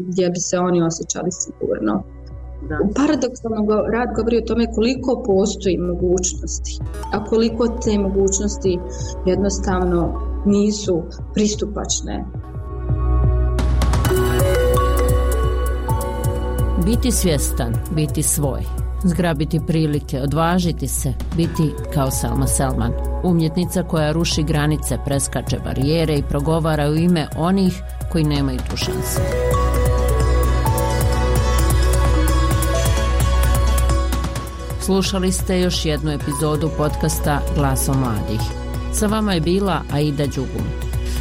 gdje bi se oni osjećali sigurno. Da. Paradoksalno rad govori o tome koliko postoji mogućnosti, a koliko te mogućnosti jednostavno nisu pristupačne. Biti svjestan, biti svoj, zgrabiti prilike, odvažiti se, biti kao Selma Selman, umjetnica koja ruši granice, preskače barijere i progovara u ime onih koji nemaju tu šansu. Slušali ste još jednu epizodu podcasta Glasom mladih. Sa vama je bila Aida Đugum.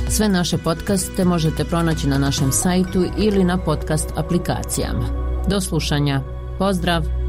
Sve naše podcaste možete pronaći na našem sajtu ili na podcast aplikacijama. Do slušanja. Pozdrav!